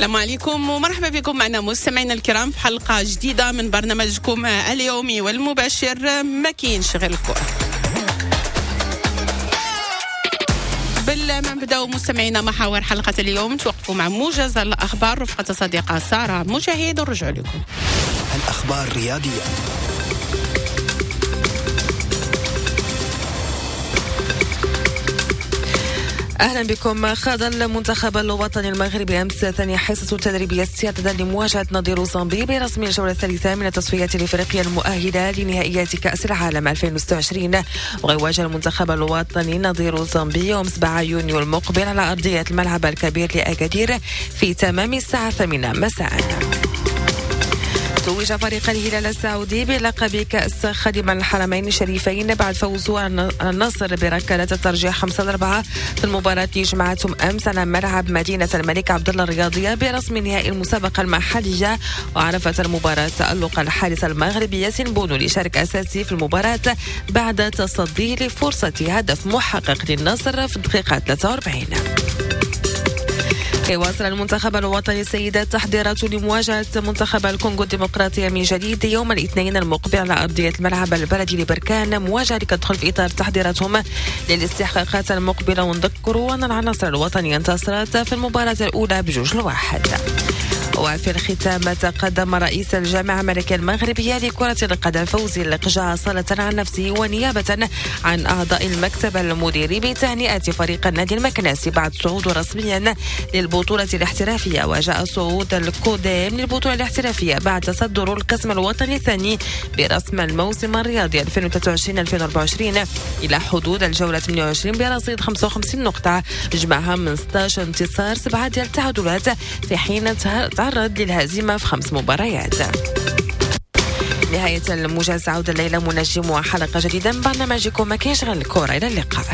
السلام عليكم ومرحبا بكم معنا مستمعينا الكرام في حلقة جديدة من برنامجكم اليومي والمباشر ما كاينش غير الكرة. قبل ما نبداو مستمعينا محاور حلقة اليوم توقفوا مع موجز الأخبار رفقة صديقة سارة مجاهد ونرجع لكم. الأخبار الرياضية. أهلا بكم. خاض المنتخب الوطني المغربي أمس ثاني حصة تدريبية استعدادا لمواجهة نظير زامبي برسم الجولة الثالثة من التصفيات الإفريقية المؤهلة لنهائيات كأس العالم 2026. ويواجه المنتخب الوطني نظير زامبي يوم 7 يونيو المقبل على أرضية الملعب الكبير لأكادير في تمام الساعة 8 مساء. توج فريق الهلال السعودي بلقب كأس خادم الحرمين الشريفين بعد فوزه على النصر بركلات الترجيح 5-4 في المباراة التي جمعتهم أمس على ملعب مدينة الملك عبد الله الرياضية برسم نهائي المسابقة المحلية. وعرفت المباراة تألق الحارس المغربي ياسين بونو ليشارك أساسي في المباراة بعد تصديه لفرصة هدف محقق للنصر في الدقيقة 43. يواصل المنتخب الوطني السيدات تحضيراته لمواجهة منتخب الكونغو الديمقراطية من جديد يوم الاثنين المقبل على أرضية الملعب البلدي لبركان، مواجهة كتدخل في إطار تحضيراتهم للاستحقاقات المقبلة. ونذكروا أن العناصر الوطنية انتصرت في المباراة الأولى 2-1. وفي الختام تقدم رئيس الجامعة الملكية المغربية لكرة القدم فوزي لقجع صالة عن نفسه ونيابة عن أعضاء المكتب المديري بتهنئة فريق النادي المكناسي بعد صعوده رسميا للبطولة الاحترافية. وجاء صعود الكوديم للبطولة الاحترافية بعد تصدر القسم الوطني الثاني برسم الموسم الرياضي 2023-2024 إلى حدود الجولة 28 برصيد 55 نقطة جمعها من 16 انتصار 7 ديال التعادلات، في حين تعرض للهزيمة في 5 مباريات. نهاية الموجز، عودة الليلة منجم وحلقة جديدة من برنامجكم ما كاينش غير الكرة. إلى اللقاء.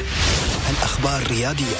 الأخبار الرياضية.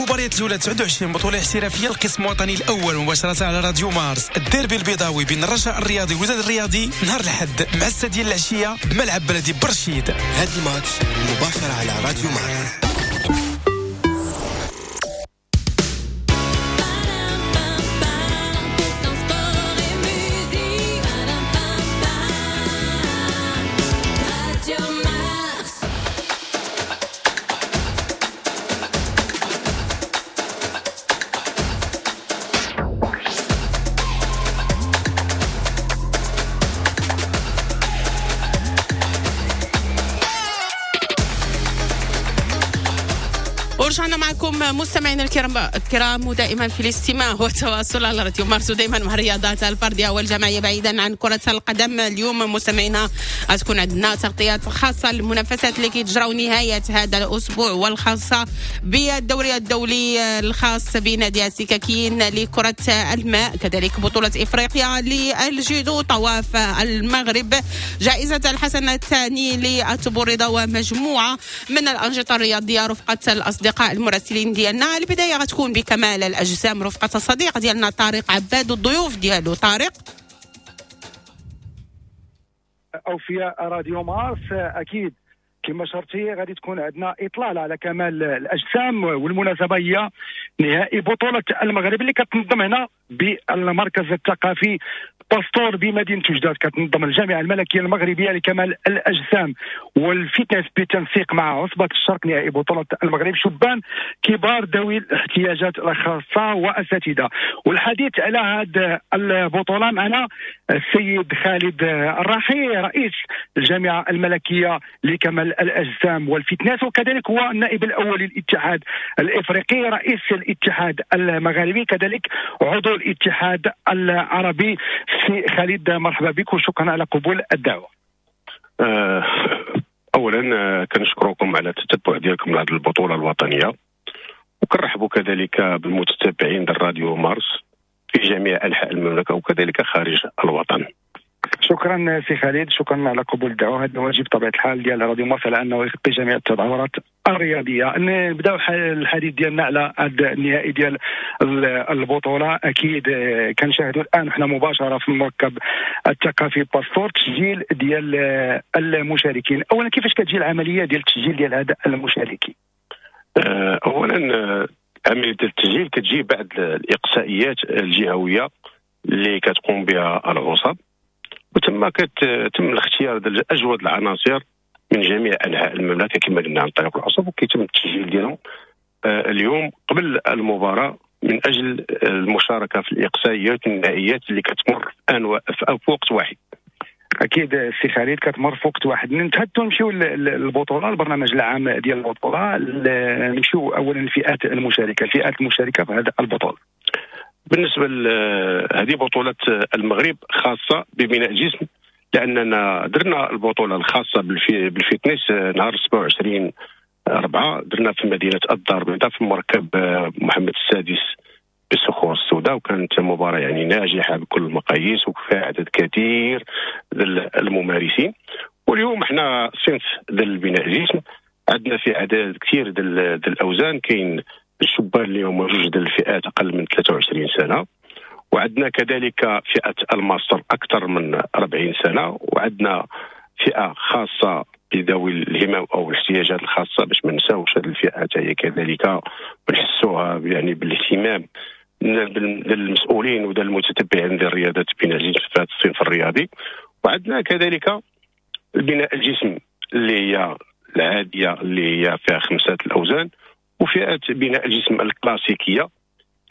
المباريات الاولى 29 بطوله احترافية القسم الوطني الاول مباشرة على راديو مارس. الديربي البيضاوي بين الرجاء الرياضي والوداد الرياضي نهار الاحد مع 6 ديال العشية بملعب بلدي برشيد. هذا الماتش مباشرة على راديو مارس. ورجعنا معكم مستمعينا الكرام ودائما في الاستماع والتواصل على راديو مارس، ودائما مع الرياضات الفردية والجماعيه بعيدا عن كره القدم. اليوم مستمعينا غتكون عندنا تغطيات خاصة للمنافسات اللي كيتجراو نهاية هذا الاسبوع، والخاصة بالدوري الدولي الخاص بنادي السكاكين لكرة الماء، كذلك بطوله افريقيا للجيدو، طواف المغرب، جائزة الحسن الثاني للتبوريضه، ومجموعة من الانشطة الرياضية رفقه الاصدقاء المراسلين ديالنا. البداية غتكون بكمال الاجسام رفقه الصديق ديالنا طارق عباد والضيوف ديالو. طارق، اوفياء راديو مارس، اكيد كما شرتي غادي تكون عندنا اطلالة على كمال الاجسام، والمناسبة هي نهائي بطوله المغرب اللي كتنظم هنا بالمركز الثقافي باستور بمدينة وجدة. كتنظم الجامعة الملكية المغربية لكمال الاجسام والفتنس بالتنسيق مع عصبه الشرق نهائي بطوله المغرب شبان كبار ذوي الاحتياجات الخاصة واساتذه. والحديث على هذه البطولة معنا السيد خالد الراحي، رئيس الجامعة الملكية لكمال الاجسام والفتنس، وكذلك هو النائب الاول للاتحاد الافريقي، رئيس الاتحاد المغاربي، كذلك عضو الاتحاد العربي. سي خالد، مرحبا بك وشكرا على قبول الدعوة. اولا كنشكركم على التتبع ديالكم لهذه البطولة الوطنية، وكنرحبوا كذلك بالمتتبعين ديال راديو مارس في جميع انحاء المملكة وكذلك خارج الوطن. شكرا سي خالد، شكرا على قبول الدعوة. هذا واجب بطبيعة الحال ديال راديو مارس على انه يغطي جميع التظاهرات الرياضية. نبداو الحديث ديالنا على هذا النهائي ديال البطولة. اكيد كنشاهدوا الان حنا مباشرة في المركب الثقافي باستور تسجيل ديال المشاركين. اولا كيفاش كتجي العملية ديال التسجيل ديال هذا المشاركين؟ اولا عملية التسجيل كتجي بعد الاقصائيات الجهوية اللي كتقوم بها العصب، وتم كتم الاختيار ديال اجود العناصر من جميع انحاء المملكة كما قلنا عن طريق العصب، وكيتم التسجيل ديالهم اليوم قبل المباراة من اجل المشاركة في الاقصائيات والنهائيات اللي كتمر في وقت واحد. اكيد سي خالد كتمر في وقت واحد. نتحدثوا نمشيو للبطولة، البرنامج العام ديال البطولة. نمشيو اولا الفئات المشاركة، الفئات المشاركة في هذه البطولة. بالنسبة لهذه بطوله المغرب خاصة ببناء الجسم، لاننا درنا البطولة الخاصة بال fitness نهار 27/4 درنا في مدينة الدار البيضاء في مركب محمد السادس بالصخور السوداء، وكانت مباراة يعني ناجحة بكل المقاييس وفيها عدد كثير الممارسين. واليوم احنا صنف ديال بناء الجسم عندنا في عدد كثير ديال الاوزان. كاين الشبان اللي هما جوج ديال الفئات اقل من 23 سنة، وعندنا كذلك فئة الماستر اكثر من 40 سنة، وعندنا فئة خاصة بذوي الهمم او الاحتياجات الخاصة باش ما نساوش هذه الفئة حتى هي كذلك ونحسوها يعني بالاهتمام للمسؤولين وديال المتتبعين ديال الرياضات بناء الجسم في هذا الصنف الرياضي. وعندنا كذلك بناء الجسم اللي هي العادية اللي هي فيها 5 الاوزان، وفئه بناء الجسم الكلاسيكية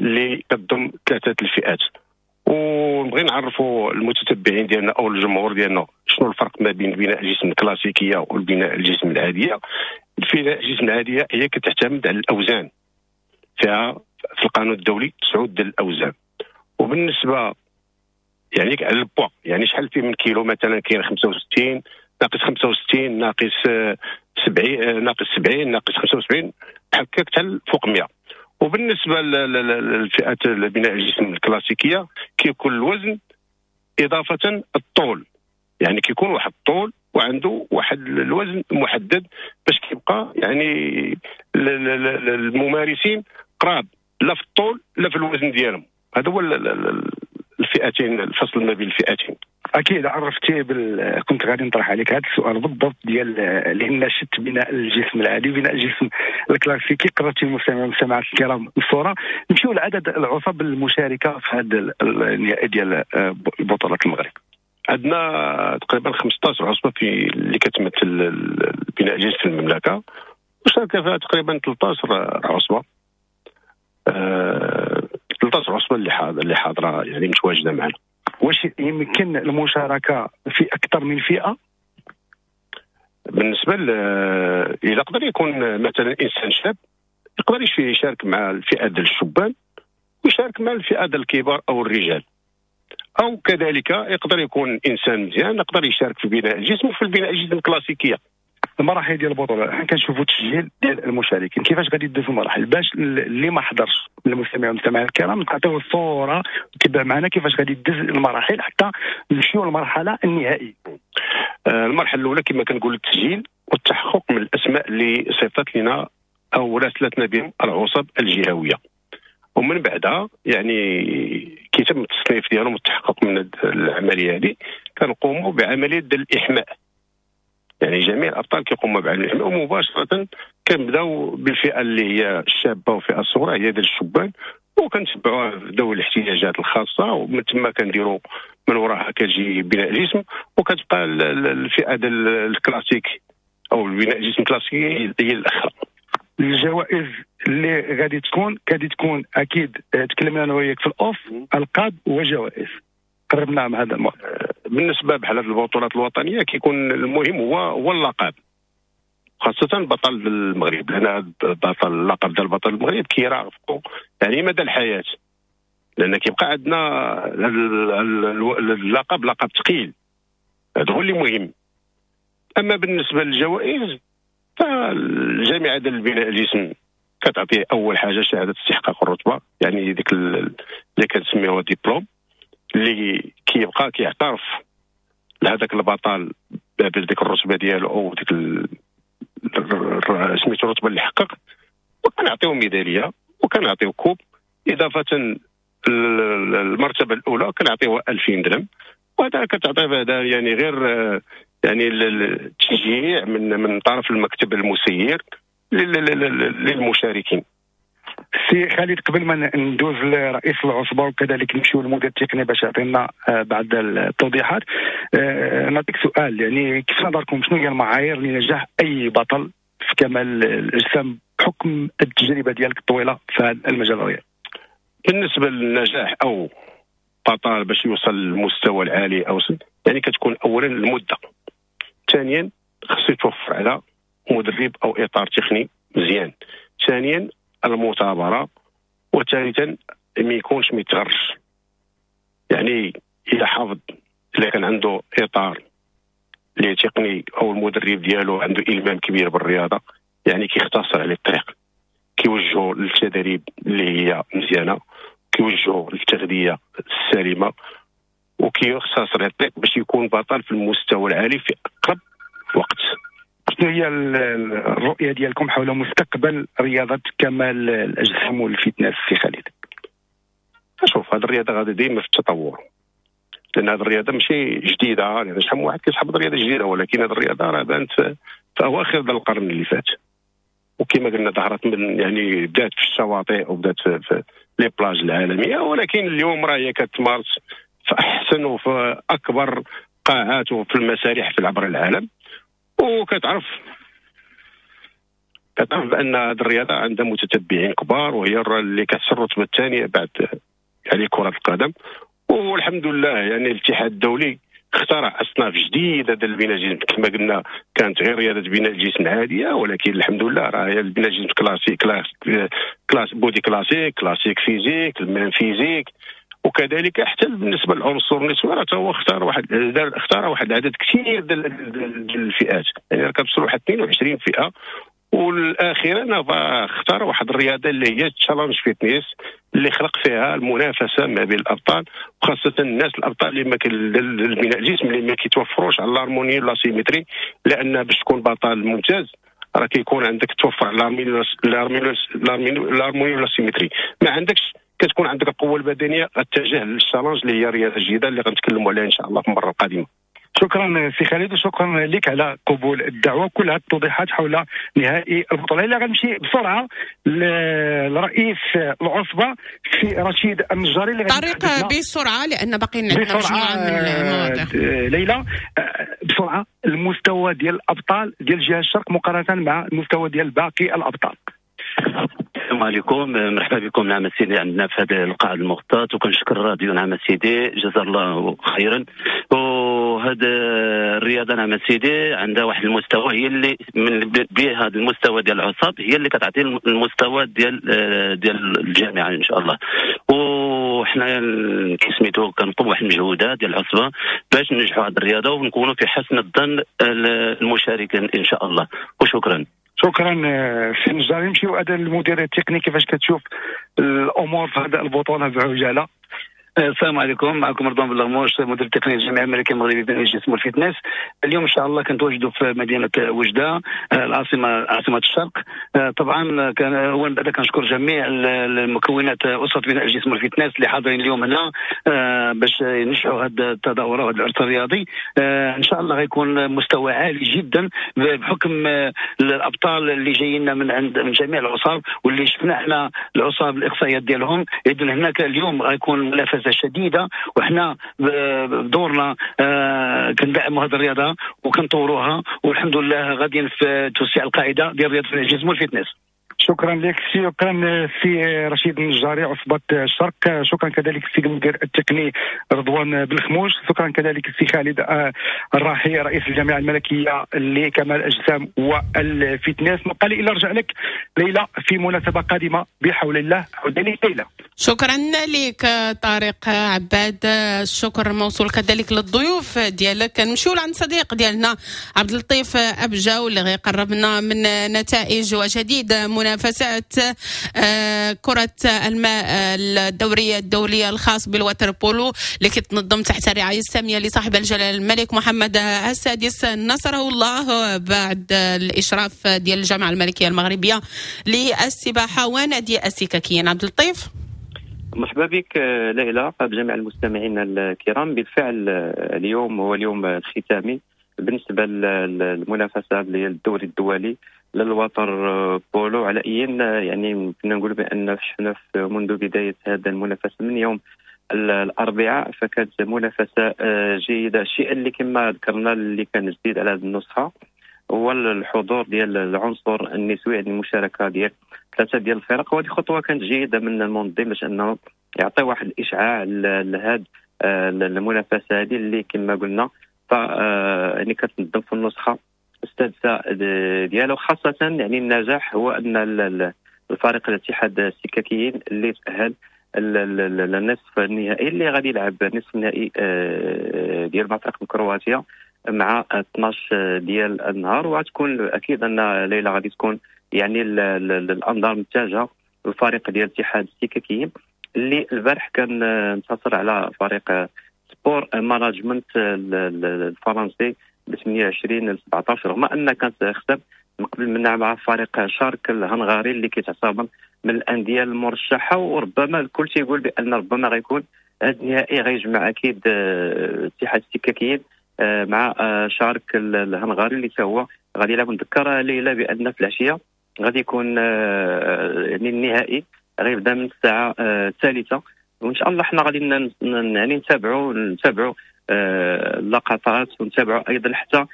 اللي كتضم 3 الفئات. ونبغي نعرفوا المتتبعين ديالنا او الجمهور ديالنا شنو الفرق ما بين بناء الجسم الكلاسيكية والبناء الجسم العادية. البناء الجسم العادية هي كتعتمد على الاوزان، فيها في القانون الدولي 9 ديال الاوزان. وبالنسبة يعني على البوا، يعني شحال فيه من كيلو، مثلا كاين 65 ناقص 65 ناقص 70 ناقص 70 ناقص 75 بحال هكاك حتى فوق 100. وبالنسبة للفئات بناء الجسم الكلاسيكية كيكون الوزن اضافه الطول، يعني كيكون واحد الطول وعنده واحد الوزن محدد باش كيبقى يعني الممارسين قراب لا في الطول لا في الوزن ديالهم. هذا هو الفئتين، الفصل ما بين الفئتين. اكيد عرفتي كنت غادي نطرح عليك هذا السؤال بالضبط ديال، لان شت بناء الجسم العادي بناء الجسم الكلاسيكي. قررتي المستمعين والمستمعات الكرام الصورة. نمشيو لعدد العصب المشاركة في هذا النهائي ديال بطوله المغرب. عندنا تقريبا 15 عصبه في اللي كتمثل بناء الجسم في المملكة، وشارك فيها تقريبا 13 عصبه. 13 عصبه اللي حاضره يعني متواجدة معنا. واش يمكن المشاركة في اكثر من فئة؟ بالنسبة الى يقدر يكون مثلا انسان شاب يقدر يشارك مع الفئة ديال الشبان ويشارك مع الفئة ديال الكبار او الرجال، او كذلك يقدر يكون انسان مزيان يقدر يشارك في بناء الجسم وفي البناء الجسم الكلاسيكية. المراحل ديال البطولة حنا كنشوفوا التسجيل ديال المشاركين، كيفاش غادي يدوزوا المراحل باش اللي ما حضرش من المستمعين والمستمعات الكرام تعطيو الصورة تبع معنا كيفاش غادي يدوز المراحل حتى نمشيو للمرحلة النهائية. المرحلة الاولى كما كنقول التسجيل والتحقق من الاسماء اللي صيفطت لنا او راسلتنا بهم العصب الجهوية، ومن بعدها يعني كيتم التصنيف ديالهم والتحقق من العملية هذه كنقوموا بعملية ديال الاحماء. يعني جميع الابطال كيقوموا بعملية الاحماء، ومباشرة كنبداو بالفئه اللي هي الشابة والفئة الصغرى هي ديال الشبان، وكنتبعوها ذوي الاحتياجات الخاصة، ومن ثم كنديروا من وراها كتجي بناء الجسم، وكتبقى الفئة ديال الكلاسيك او البناء الجسم الكلاسيكي هي الاخرى. الجوائز اللي غادي تكون اكيد تكلمنا انا وياك في ال off، القاب وجوائز، قربنا مع هذا الموضوع. بالنسبة بحال هذه البطولات الوطنية كيكون المهم هو اللقب، خاصة بطل المغرب، لان بطل اللقب ديال بطل المغرب كيرافقو يعني مدى الحياة، لان كيبقى عندنا اللقب لقب ثقيل، هذا هو اللي مهم. اما بالنسبة للجوائز فالجامعه ديال البناء الجسم كتعطيه اول حاجة شهادة استحقاق الرتبة، يعني ديك اللي كنسميوها ديبلوم، اللي كيبقى كيعترف لهذاك البطل بديك الرتبة ديالو او ديك سميتو الرتبة اللي حقق، وكنعطيو ميدالية وكنعطيو coupe. اضافه المرتبة الاولى كنعطيوها 2000 درهم، وهذا كتعطيه هذا يعني غير يعني التشجيع من طرف المكتب المسير للمشاركين. سي خالد، قبل ما ندوز لرئيس العصبة وكذلك نمشيو للمدير التقني باش يعطينا بعض التوضيحات، نعطيك سؤال، يعني كيف نظركم شنو هي المعايير لنجاح اي بطل في كمال الاجسام بحكم التجربة ديالك الطويلة في هذا المجال الرياضي؟ بالنسبة للنجاح او بطل باش يوصل للمستوى العالي او يعني كتكون اولا المدة، ثانيا خصو يتوفر على مدرب او اطار تقني مزيان، ثانيا المثابرة، وثالثا ما يكونش ما يتغرش، يعني الى حافظ الا كان عنده اطار اللي تقني او المدرب ديالو عنده المام كبير بالرياضة، يعني كيختصر عليه الطريق، كيوجهو للتدريب اللي هي مزيانه، كيوجهو للتغذيه السليمة، وكيختصر عليه الطريق باش يكون بطل في المستوى العالي في اقرب وقت. شنو هي الرؤية ديالكم حول مستقبل رياضة كمال الاجسام وال fitness سي خالد؟ شوف، هذه الرياضة غادي ديما في التطور، لان هذه الرياضة ماشي جديدة، لان شحال من واحد كيسحب الرياضة جديدة، ولكن هذه الرياضة راه بانت في اواخر القرن اللي فات، وكما قلنا ظهرت من يعني بدات في الشواطئ وبدات في les plages العالمية، ولكن اليوم راه هي كتمارس في احسن وفي اكبر قاعات وفي المسارح في عبر العالم. وكتعرف بان هذه الرياضة عندها متتبعين كبار، وهي اللي كتسر الرتبة الثانية بعد يعني كره القدم. والحمد لله يعني الاتحاد الدولي اخترع اصناف جديدة ديال البناء الجسم، كما قلنا كانت غير رياضة بناء الجسم عادية، ولكن الحمد لله راه هي البناء الجسم classique، class body classique، classic physique، ال men physique، وكذلك حتى بالنسبة للعنصر النسوي راه هو اختار واحد العدد كثير ديال الفئات، يعني كتوصل واحد 22 فئة. والاخيرا اختار واحد الرياضة اللي هي challenge fitness، اللي خلق فيها المنافسة ما بين الابطال، وخاصة الناس الابطال اللي ما البناء الجسم اللي ما كيتوفروش على l'harmonie la symétrie، لان باش تكون بطل ممتاز راه كيكون عندك توفر l'harmonie ولا symétrie. ما عندكش كتكون عندك القوة البدنية، غتجه لل challenge اللي هي رياضة جديدة اللي غنتكلموا عليها ان شاء الله في المرة القادمة. شكرا سي خالد، وشكرا لك على قبول الدعوة وكل هذه التوضيحات حول نهائي البطولة. الا غنمشي بسرعة لرئيس العصبة سي رشيد النجاري اللي طريق بسرعة لان باقي عندنا مجموعة من المواضيع. ليلى بسرعة، المستوى ديال الابطال ديال جهة الشرق مقارنة مع المستوى ديال باقي الابطال. السلام عليكم، مرحبا بكم نعم سيدي عندنا في هذا القاعة المغطاة، وكنشكر الراديو نعم سيدي جزا الله خيرا. وهذا الرياضة نعم سيدي عندها واحد المستوى، هي اللي من به هذا المستوى ديال العصب هي اللي كتعطي المستوى ديال الجامعة ان شاء الله. وحنا كسميتو كنقوم بواحد المجهودات ديال العصبة باش ننجحوا هذه الرياضة ونكونوا في حسن الظن المشاركين ان شاء الله، وشكرا. شكرا سي النجاري. نمشيو هذا المدير التقني، كيفاش كتشوف الامور في هذه البطولة بعجاله؟ السلام عليكم، معكم رضوان بلغموش، مدير التقني للجامعة الملكية المغربية بين الجسم والفتنس. اليوم ان شاء الله كنتواجدوا في مدينة وجده العاصمة، عاصمة الشرق. طبعا كان اولا بعدا كنشكر جميع المكونات اسره بناء الجسم والفتنس اللي حاضرين اليوم هنا باش ينجحوا هذه التظاهرة وهذا العرس الرياضي. ان شاء الله غيكون مستوى عالي جدا بحكم الابطال اللي جايين من عند من جميع العصاب واللي شفنا احنا العصاب الاقصائيات ديالهم. اذا هناك اليوم غيكون منافسه شديدة، وحنا بدورنا كندعموا هذه الرياضة وكنطوروها، والحمد لله غاديين في توسيع القاعدة ديال رياضة الجسم والفتنس. شكرا لك، شكرا سي رشيد النجاري عصبة الشرق، شكرا كذلك السيد المدير التقني رضوان بالخموش، شكرا كذلك السي خالد الراحي رئيس الجامعة الملكية لكمال الأجسام والفتنس. نبقى لي إلا رجع لك ليلى في مناسبة قادمة بحول الله. عودة لك ليلى. شكرا لك طارق عباد، الشكر موصول كذلك للضيوف ديالك. نمشيو لعند صديق ديالنا عبد اللطيف أبجاو اللي غيقربنا من نتائج وجديد منافسات كرة الماء الدورية الدولية الخاص بالوتر بولو اللي كتنظم تحت الرعاية السامية لصاحب الجلالة الملك محمد السادس نصره الله، بعد الإشراف ديال الجامعة الملكية المغربية للسباحة ونادي السكاكيين. عبد اللطيف مرحبا بك ليلى بجميع المستمعين الكرام. بالفعل اليوم هو اليوم الختامي بالنسبة للمنافسة ديال الدوري الدولي للوتر بولو. على أي يعني كنا نقول بأن شفنا منذ بداية هذا المنافسة من يوم الأربعاء فكانت منافسة جيدة. الشيء اللي كما ذكرنا اللي كان جديد على هذه النسخة هو الحضور ديال العنصر النسوي، يعني المشاركة ديال ثلاثة ديال الفرق، وهذه خطوة كانت جيدة من المنظم باش أنه يعطي واحد الإشعاع لهذه المنافسة هذه اللي كما قلنا ف يعني كتنظم في النسخة السادسة ديالو. خاصة يعني النجاح هو أن الفريق الاتحاد السكاكيين اللي تأهل للنصف النهائي اللي غادي يلعب نصف النهائي ديال مع فريق كرواتيا مع 12 ديال النهار. وغتكون اكيد ان ليلى غادي تكون يعني الانظار متجهة للفريق ديال الاتحاد السكاكيين اللي البارح كان انتصر على فريق Sport Management الفرنسي ب 28-17، رغم ان كانت خسر من قبل منها مع فريق شارك الهنغاري اللي كيتعتبر من الاندية المرشحه. وربما الكل تيقول بان ربما غيكون هذا النهائي غيجمع اكيد اتحاد السكاكيين مع شارك الهنغاري اللي تا هو غادي يلعب. نذكر ليلى بان في العشية غادي يكون يعني النهائي غيبدا من الساعة 3، وان شاء الله حنا غادي يعني نتابعوا اللقطات ونتابعوا ايضا حتى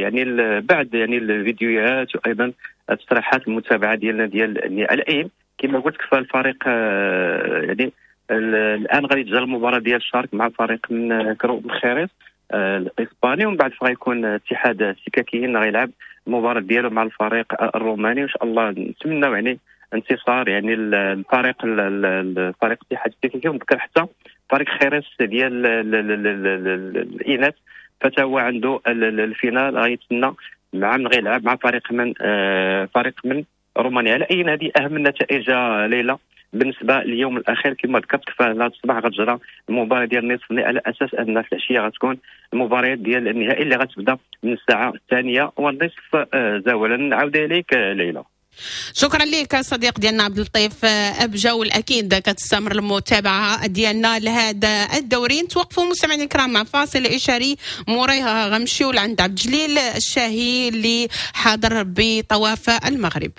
يعني بعد يعني الفيديوهات وايضا التصريحات المتابعة ديالنا ديال على اي كما قلت لك. فالفريق يعني الان غادي تجرى المباراة ديال شارك مع فريق من خيريس الاسباني، ومن بعد غيكون اتحاد السكاكيين غيلعب المباراة ديالو مع الفريق الروماني. وان شاء الله نتمناو يعني انتصار يعني الفريق الاتحاد السكاكي. ونذكر حتى فريق خيريس ديال الاناث فتا هو عنده ال finale غيتسنى مع من غيلعب مع فريق من رومانيا. على اي هذه اهم النتائج ليلى بالنسبة لليوم الاخير كما ذكرت فهذا الصباح غتجرى المباراة ديال النصف النهائي، على اساس ان في العشية غتكون المباريات ديال النهائي اللي غتبدا من الساعة 2:30 زوالا. عوده اليك ليلى. شكرا لك صديق ديالنا عبد اللطيف ابجا، والاكيد كتستمر المتابعة ديالنا لهذا الدوري. نتوقفوا مستمعينا الكرام مع فاصل اشاري، موريها غنمشيو لعند عبد الجليل الشاهي اللي حاضر بطواف المغرب.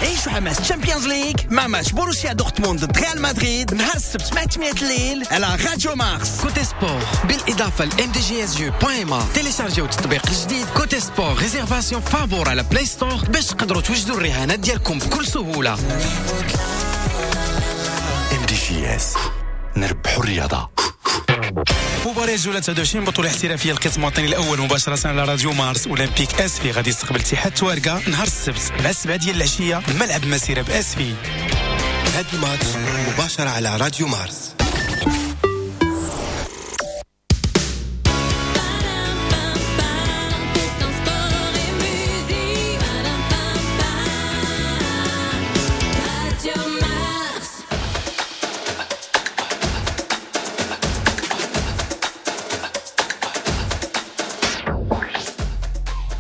عيشوا حماس Champions League مع ماتش بوروسيا دورتموند ضد ريال مدريد نهار السبت مع 8 الليل على راديو مارس. Cote Sport بالاضافة ل mdgsjeux.ma. تيليشارجيو التطبيق الجديد Cote Sport réservation فابور على Play Store باش تقدروا توجدوا الرهانات ديالكم بكل سهولة. MDJS نربحوا الرياضة. مباراة جولة 29 بطولة احترافية القسم الوطني الأول مباشرة على راديو مارس. أولمبيك أسفي غادي يستقبل اتحاد توارقة نهار السبت مع 7 ديال العشية بملعب مسيرة بأسفي. هذا الماتش مباشرة على راديو مارس.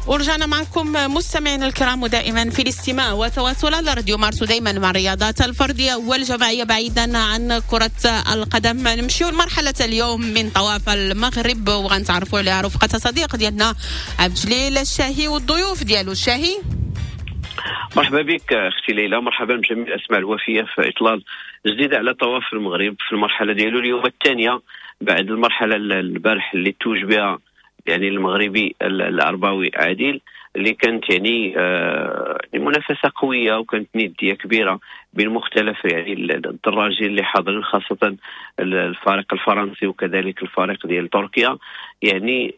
ورجعنا معكم مستمعينا الكرام، ودائما في الاستماع وتواصل على راديو مارس، ودائما مع الرياضات الفردية والجماعيه بعيدا عن كره القدم. نمشيو لمرحلة اليوم من طواف المغرب وغنتعرفوا على رفقه صديق ديالنا عبد الجليل الشاهي والضيوف ديالو. الشاهي مرحبا بك اختي ليلى، مرحبا بجميع الاسماء الوفيه في اطلال جديدة على طواف المغرب في المرحلة ديالو اليوم الثانية بعد المرحلة البارح اللي توج بها يعني المغربي العرباوي عادل، اللي كانت يعني منافسه قوية وكانت نديه كبيرة بين مختلف يعني الدراجين اللي حاضرين، خاصة الفريق الفرنسي وكذلك الفريق ديال تركيا. يعني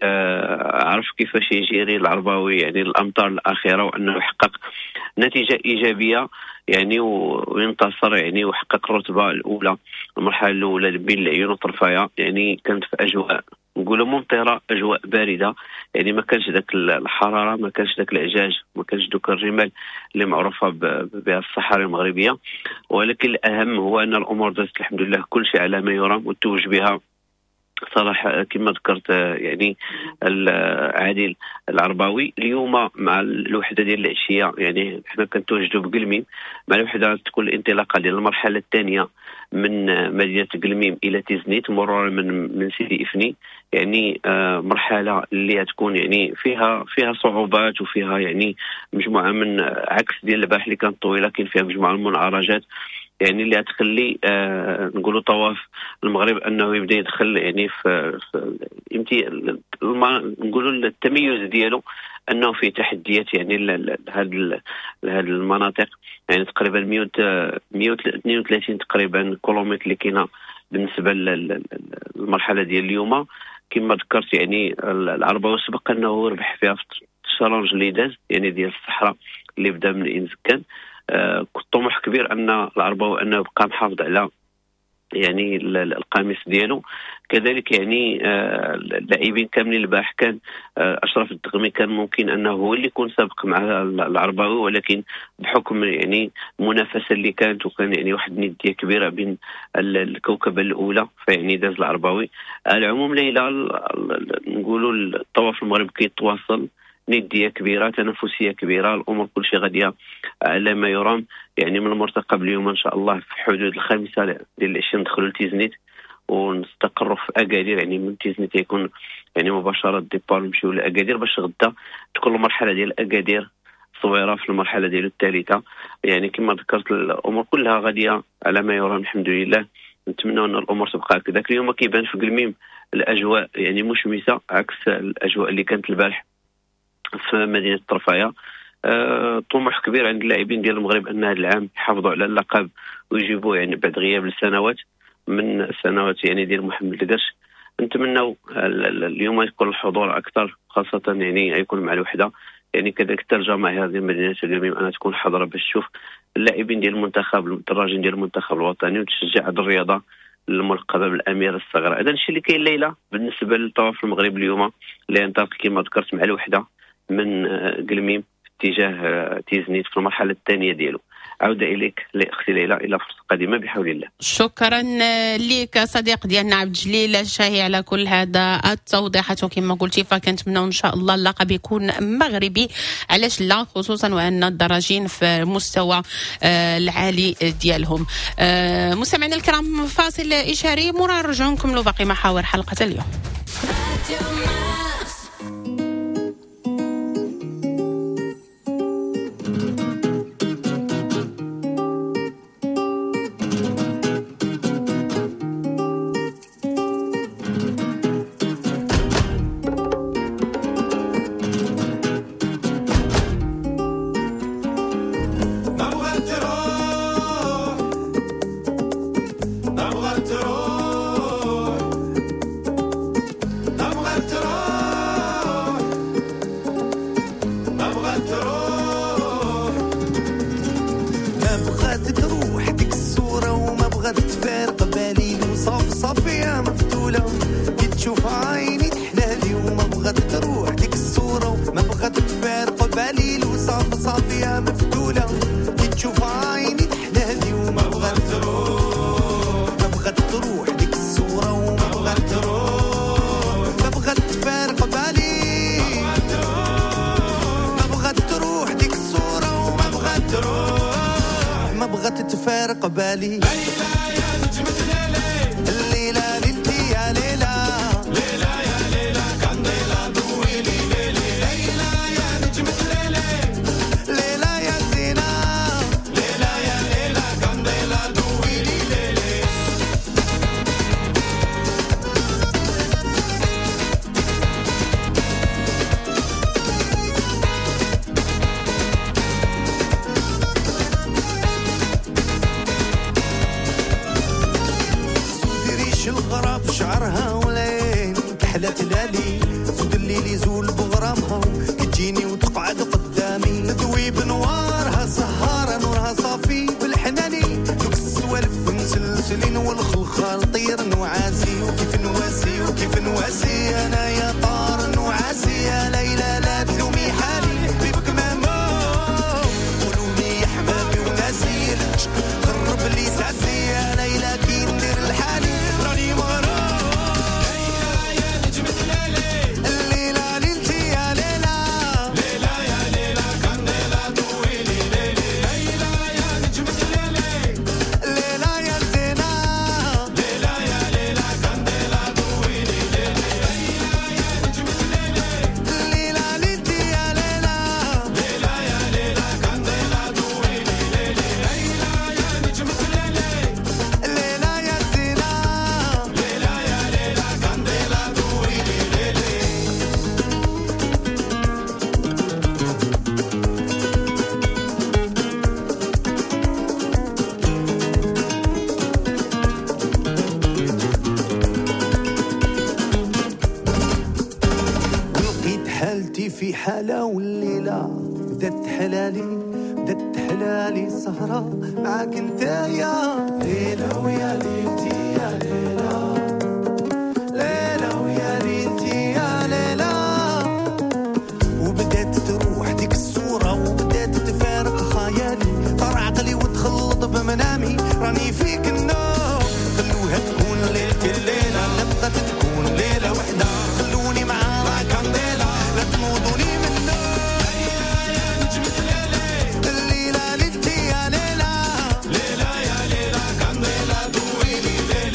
عرف كيفاش يجيري العرباوي يعني الامطار الاخيرة وانه حقق نتيجة ايجابية يعني وينتصر يعني وحقق الرتبة الاولى المرحلة الاولى بين العيون وطرفايه. يعني كانت في اجواء نقولوا ممطره، اجواء باردة، يعني ما كانش ذاك الحرارة، ما كانش ذاك العجاج، ما كانش دوك الرمال اللي معروفة بها الصحراء المغربية. ولكن الاهم هو ان الامور دازت الحمد لله كل شيء على ما يرام وتوج بها صراحة كما ذكرت يعني عادل العرباوي. اليوم مع الوحدة ديال العشية يعني حنا كنتواجدوا بقلميم مع الوحدة تكون الانطلاقة ديال المرحلة الثانية من مدينة قلميم الى تيزنيت مرورا من سيدي افني. يعني مرحلة اللي تكون يعني فيها صعوبات وفيها يعني مجموعة من عكس ديال البارح اللي كانت طويلة، كاين فيها مجموعة من المنعرجات يعني اللي تخلي نقولوا طواف المغرب انه يبدا يدخل يعني في نقولوا التميز ديالو انه في تحديات يعني لهاد المناطق. يعني تقريبا 132 تقريبا كيلومتر اللي كاينه بالنسبة للمرحلة ديال اليوم. كما ذكرت يعني العرباوي سبق انه ربح فيها في ال challenge اللي داز يعني ديال الصحراء اللي بدا من انزكان. طموح كبير ان العرباوي انه بقى محافظ على يعني القميص ديالو. كذلك يعني اللاعبين كاملين البارح كان اشرف الدغمي كان ممكن انه هو اللي يكون سابق مع العرباوي، ولكن بحكم يعني المنافسة اللي كانت وكان يعني واحد الندية كبيرة بين الكوكبه الاولى فيعني داز العرباوي. على العموم ليلى نقولوا الطواف المغرب كيتواصل، نديه كبيرة، تنافسية كبيرة، الامور كل شيء غادية على ما يرام. يعني من المرتقب اليوم ان شاء الله في حدود 5 ديال العشية ندخلوا لتيزنيت ونستقروا في اكادير. يعني من تيزنيت يكون يعني مباشرة départ نمشيو لاكادير باش غدا تكون المرحلة ديال اكادير صغيرة في المرحلة ديالو الثالثة. يعني كما ذكرت الامور كلها غادية على ما يرام الحمد لله. نتمنى ان الامور تبقى هكذاك. اليوم كيبان في قلميم الاجواء يعني مشمسه عكس الاجواء اللي كانت البارح في مدينة طرفايه. طموح كبير عند اللاعبين ديال المغرب ان هذا العام يحافظوا على اللقب ويجيبوه يعني بعد غياب لسنوات من سنوات يعني ديال محمد القرش. نتمنوا اليوم يكون الحضور اكثر، خاصة يعني يكون مع الوحدة. يعني كذلك حتى الجماهير ديال مدينة اليوم انها تكون حاضره باش تشوف اللاعبين ديال المنتخب، الدراجين ديال المنتخب الوطني، وتشجع هذه الرياضة الملقبه بالاميره الصغيرة. هذا الشيء اللي كاين ليلى بالنسبة للطواف المغرب اليوم اللي ينطلق كما ذكرت مع الوحدة من قلميم في اتجاه تيزنيت في المرحلة الثانية ديالو. عوده اليك لاختي ليلى الى فرصة قادمة بحول الله. شكرا لك صديق ديالنا عبد الجليل الشاهي على كل هذا التوضيحات، وكما قلتي فكنتمناو ان شاء الله اللقب يكون مغربي، علاش لا، خصوصا وان الدراجين في المستوى العالي ديالهم. مستمعينا الكرام، فاصل اشاري مرا نرجعوا نكملوا باقي محاور حلقة اليوم. في حالة والليلة بدات حلالي، بدات حلالي سهرة معاك انت يا ليلى ويا ليلتي يا ليلى، ليلى ويا ليلتي يا ليلى. وبدات تروح ديك الصورة وبدات تفارق خيالي، طار عقلي وتخلط بمنامي، راني فيك النوم. خلوها تكون ليلتي الليلة، نبغى تكون ليلة وحدة، خلوني مع la candela، لا تنوضوني من النوم. يا نجمة الليلة، الليلة ليلتي يا ليلى، ليلى يا ليلى candela دويلي ليلى.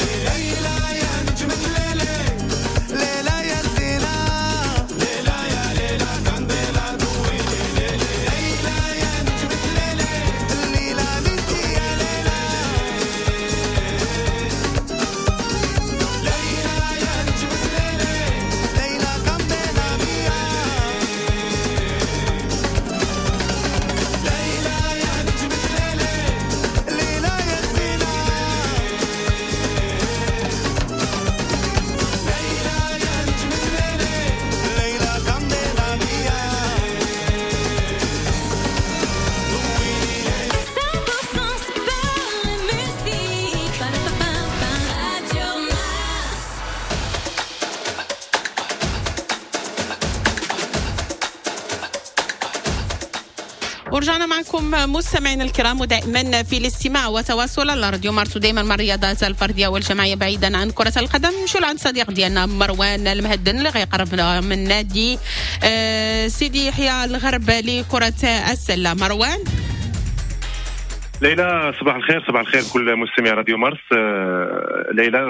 ورجعنا معكم مستمعينا الكرام، ودائما في الاستماع وتواصل على راديو مارس، ودائما مع الرياضات الفردية والجماعيه بعيدا عن كره القدم. نمشيو لعند صديق ديالنا مروان المهدن اللي غيقرب من نادي سيدي يحيى الغرب لكرة السلة. مروان. ليلى صباح الخير، صباح الخير كل مستمعي راديو مارس. ليلى،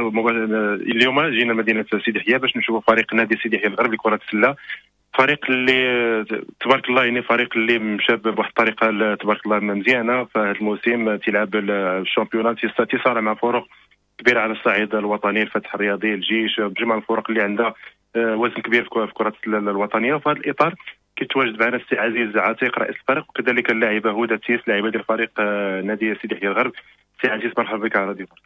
اليوم جينا مدينة سيدي يحيى باش نشوفوا فريق نادي سيدي يحيى الغرب لكرة السله، فريق اللي تبارك الله يعني فريق اللي مشى بواحد الطريقة تبارك الله مزيانه في هذا الموسم، تيلعب ال championnat، تيصارع مع فرق كبيرة على الصعيد الوطني، الفتح الرياضي، الجيش، بجميع الفرق اللي عندها وزن كبير في كره الوطنية. وفي هذا الاطار كيتواجد معنا السي عزيز عتيق رئيس الفريق، وكذلك اللاعبه هدى تيس لاعبه ديال فريق نادي سيدي يحيى الغرب. سي عزيز مرحبا بك على راديو مارس.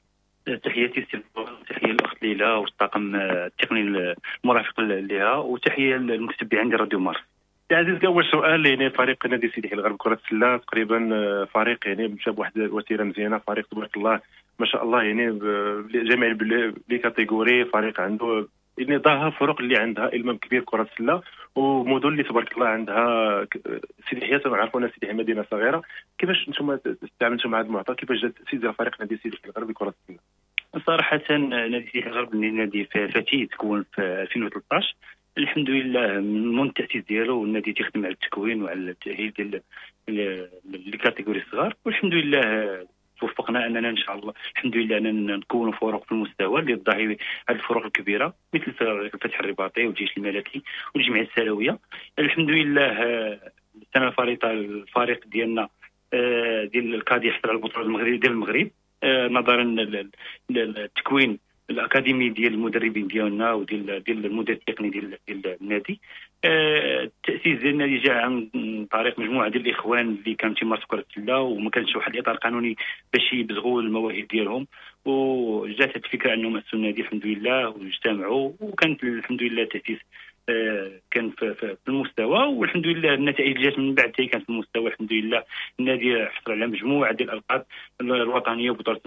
تحياتي سي، تحية الاخت ليلى والطاقم التقني المرافق لها، وتحية للمتتبعين ديال راديو مارس. سي عزيز، اول سؤال، يعني فريق نادي سيدي يحيى الغرب كره السلة تقريبا فريق يعني مشى بواحد الوتيره مزيانه، فريق تبارك الله ما شاء الله يعني جميع les catégories، فريق عنده يعني ضاها فرق اللي عندها المام كبير كره السلة، ومدن اللي تبارك الله عندها سيدي يحيى، تنعرفوا ان سيدي يحيى مدينة صغيرة. كيفاش انتم تعاملتوا مع هذا المعطى؟ كيفاش جات تاسيس فريق نادي سيدي يحيى الغرب لكرة السلة؟ صراحة نادي سيدي يحيى الغرب نادي فتي تكون في 2013، الحمد لله من التاسيس ديالو النادي تيخدم على التكوين وعلى التاهيل ديال les catégories الصغار، والحمد لله توفقنا اننا ان شاء الله الحمد لله اننا نكونوا فرق في المستوى اللي تضاهي هذه الفرق الكبيرة مثل الفتح الرباطي والجيش الملكي والجمعية السلويه. الحمد لله السنة الفارطه الفريق ديالنا ديال ال cadets حصل على البطولة المغرب ديال المغرب، نظرا للتكوين الاكاديمي ديال المدربين ديالنا وديال ديال المدير التقني ديال النادي. التاسيس ديال النادي جاء عن طريق مجموعة ديال الاخوان اللي كانوا تيمارسوا كره السلة وما كانش واحد الاطار قانوني باش يبزغوا المواهب ديالهم، وجات الفكرة انهم اسسوا النادي الحمد لله واجتمعوا، وكانت الحمد لله التاسيس كان في المستوى، والحمد لله النتائج اللي جات من بعد كانت في المستوى. الحمد لله النادي حصل على مجموعة ديال الالقاب الوطنية وبطولة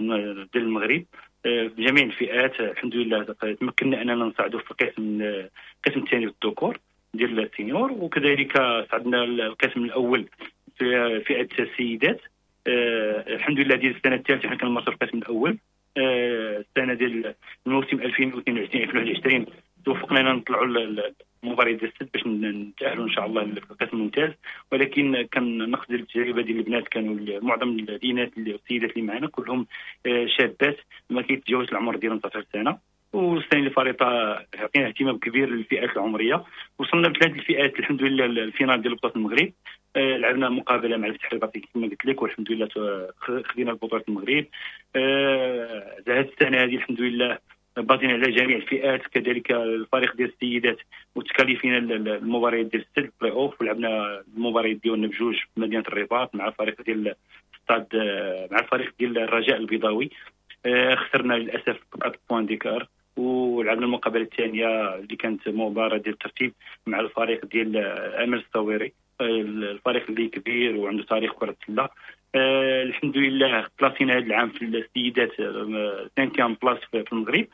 ديال المغرب في جميع الفئات. الحمد لله تمكنا اننا نصعدوا في القسم الثاني في الذكور ديال ال seniors، وكذلك صعدنا القسم الاول في فئة السيدات. الحمد لله ديال السنة الثالثة حنا كنمارسوا في القسم الاول. السنة ديال الموسم 2022 2021 توفقنا ان نطلعوا المباريات ديال السد باش نتاهلوا ان شاء الله للقسم الممتاز، ولكن كان نقص ديال التجربة ديال البنات، كانوا معظم الاناث السيدات اللي معنا كلهم شابات ما كيتجاوزش العمر ديالهم 19 سنة. والسنة اللي فارطه عطينا اهتمام كبير للفئات العمرية، وصلنا بثلاث الفئات الحمد لله ال finale ديال بطوله المغرب. لعبنا مقابله مع الفتح الرباطي كما قلت لك، والحمد لله خدينا بطوله المغرب. هذه السنة هذه الحمد لله بازينا على جميع الفئات، كذلك الفريق ديال السيدات وتكاليفينا المباريات ديال السد بلاي اوف، ولعبنا المباريات ديالنا بجوج في مدينة الرباط مع الفريق ديال ستاد، مع الفريق ديال الرجاء البيضاوي. خسرنا للاسف 4 points d'écart، ولعبنا المقابلة الثانية اللي كانت مباراة ديال الترتيب مع الفريق ديال امل الصويري، الفريق اللي كبير وعنده تاريخ كره السلة. الحمد لله كلاسينا هذا العام في السيدات 5 place في المغرب.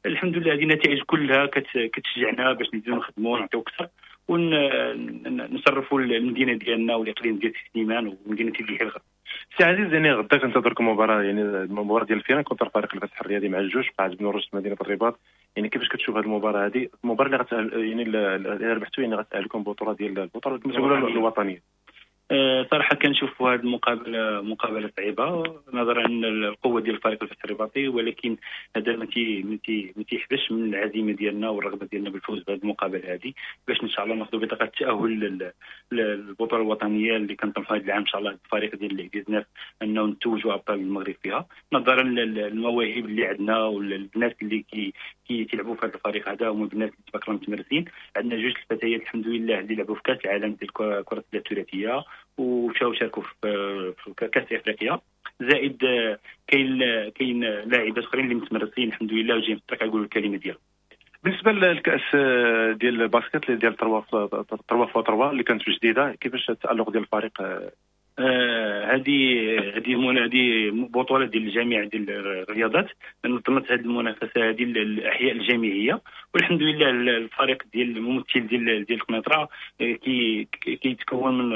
الحمد لله هذه النتائج كلها كتشجعنا باش نزيدو نخدموا ونعطيو اكثر ونشرفوا المدينة ديالنا والاقليم ديال سليمان ومدينة سيدي يحيى الغرب. سي عزيز، يعني غدا كنتظركم مباراة، يعني المباراة ديال ال finale contre فريق الفتح الرياضي مع الجوج قاعد بن رشد مدينة الرباط. يعني كيفاش كتشوف هذه المباراة هذه، المباراة اللي غتأهل يعني اللي ربحتوا يعني غتأهلكم بطوله ديال البطولة الوطنية؟ صراحة كنشوفوا هذه المقابلة مقابله صعيبة نظرا للقوة ديال الفريق الفتح الرباطي، ولكن هذا ما تيحبسش من العزيمة ديالنا والرغبة ديالنا بالفوز بهذه المقابلة هذه باش ان شاء الله ناخذ بطاقة التاهل للبطولة الوطنية اللي كنطمحوا هذا العام ان شاء الله الفريق ديال 19 انه نتوجوا ابطال المغرب فيها، نظرا للمواهب اللي عندنا والبنات اللي كيلعبوا في هذا الفريق هذا هما بنات اللي تبارك الله متمرسين. عندنا جوج الفتيات الحمد لله اللي لعبوا في كاس العالم ديال كره الثلاثية ومشاو شاركوا في كاس افريقيا، زائد كاين لاعبات اخرين اللي متمرسين الحمد لله وجايين في الطريق يقولوا الكلمة ديالهم. بالنسبة للكاس ديال ال basket ديال 3 x 3 اللي كانت في جديدة، كيفاش التالق ديال الفريق هذه بطوله ديال الجامعة ديال الرياضات، نظمت هذه المنافسة هذه الاحياء الجامعيه، والحمد لله الفريق ديال الممثل ديال القنيطره كيتكون من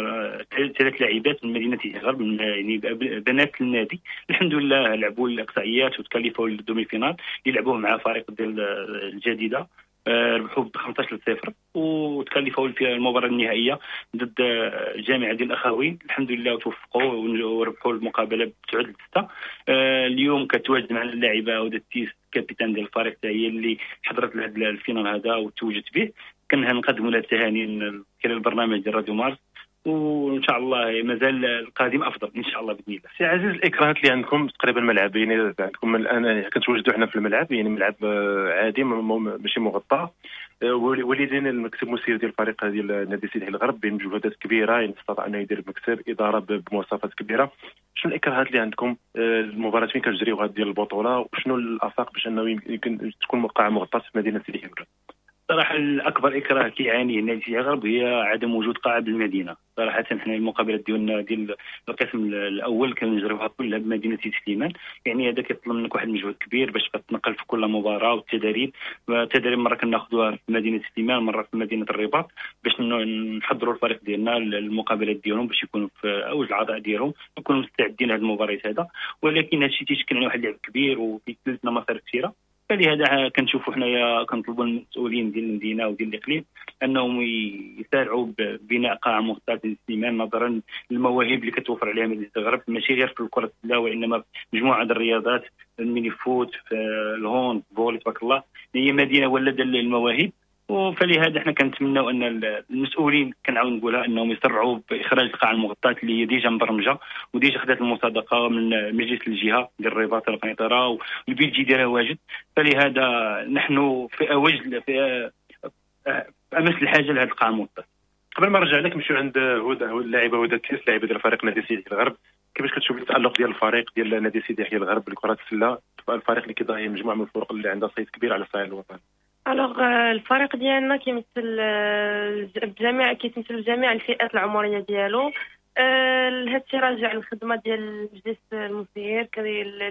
3 لاعبات من مدينة الغرب، يعني بنات النادي. الحمد لله لعبوا الاقصائيات وتكلفوا لل demi-finale اللي لعبوه مع فريق ديال الجديدة، ربحوا ب 15-0 وتكلفوا في المباراة النهائية ضد الجامعة ديال الاخوين. الحمد لله وتوفقوا وربحوا المقابلة ب 9-6. اليوم كتواجد معنا اللاعبه هدى التيس، capitaine ديال الفريق، هي اللي حضرت لهذا ال finale هذا وتوجت به. كنقدموا لها التهاني من خلال البرنامج ديال راديو مارس، وان شاء الله مازال القادم افضل ان شاء الله باذن الله. سي عزيز، الاكراهات اللي عندكم تقريبا ملعبين عندكم الان، كنتواجدوا حنا في الملعب، يعني ملعب عادي ماشي مغطى. وليدين المكتب المسير ديال الفريق ديال نادي سيدي الغرب بمجهودات كبيرة، يعني استطاع انه يدير مكتب ادارة بمواصفات كبيرة. شنو الاكراهات اللي عندكم؟ المباراة فين كتجريوها ديال البطولة، وشنو الافاق باش انه يمكن تكون قاعة مغطاة في مدينة سيدي الغرب؟ صراحة الأكبر إكراه كيعانيه النادي سيدي الغرب هي عدم وجود قاعة بالمدينة. صراحة حنا المقابلات ديالنا ديال القسم الأول كنجريوها كلها بمدينة سيدي سليمان، يعني هذا كيطلب منك واحد المجهود كبير باش تنقل في كل مباراة، والتدريب مرة كناخذوها في مدينة سليمان، مرة في مدينة الرباط، باش نحضروا الفريق ديالنا للمقابلات ديالهم باش يكونوا في أوج العطاء ديالهم ويكونوا مستعدين لهذه المباريات هذا. ولكن هذا الشيء تيشكل على واحد اللعب كبير وكيكلفنا مصاريف كثيرة، فلهذا كنشوفوا حنايا كنطلبوا المسؤولين ديال المدينة وديال الاقليم انهم يسارعوا ببناء قاعة مغطاة للسليمان، نظرا للمواهب اللي كتوفر عليها مدينة الغرب، ماشي غير في كره السلة وانما في مجموعة الرياضات، ال mini-foot، في ال hand، volley، تبارك الله هي مدينة ولادة للمواهب. فلهذا حنا كنتمناو ان المسؤولين، كنعاود نقولها، انهم يسرعوا باخراج القاعة المغطاه اللي هي déjà مبرمجه و déjà خدات المصادقة من مجلس الجهة ديال الرباط القنيطره، وال budget ديالها واجد. فلهذا نحن في اوج في امس الحاجة لهذه القاعة المغطاه. قبل ما نرجع لك نمشيو عند هدى، اللاعبه هدى التيس، لاعبه ديال فريق نادي سيدي الغرب. كيفاش كتشوف التالق ديال الفريق ديال نادي سيدي يحيى الغرب لكرة السلة، الفريق اللي كيضاهي مجموعة من الفرق اللي عندها صيت كبير على الصعيد الوطني؟ alors الفريق ديالنا كيمثل جميع كيتمثل جميع الفئات العمرية ديالو. هادشي راجع للخدمة ديال المجلس المسير،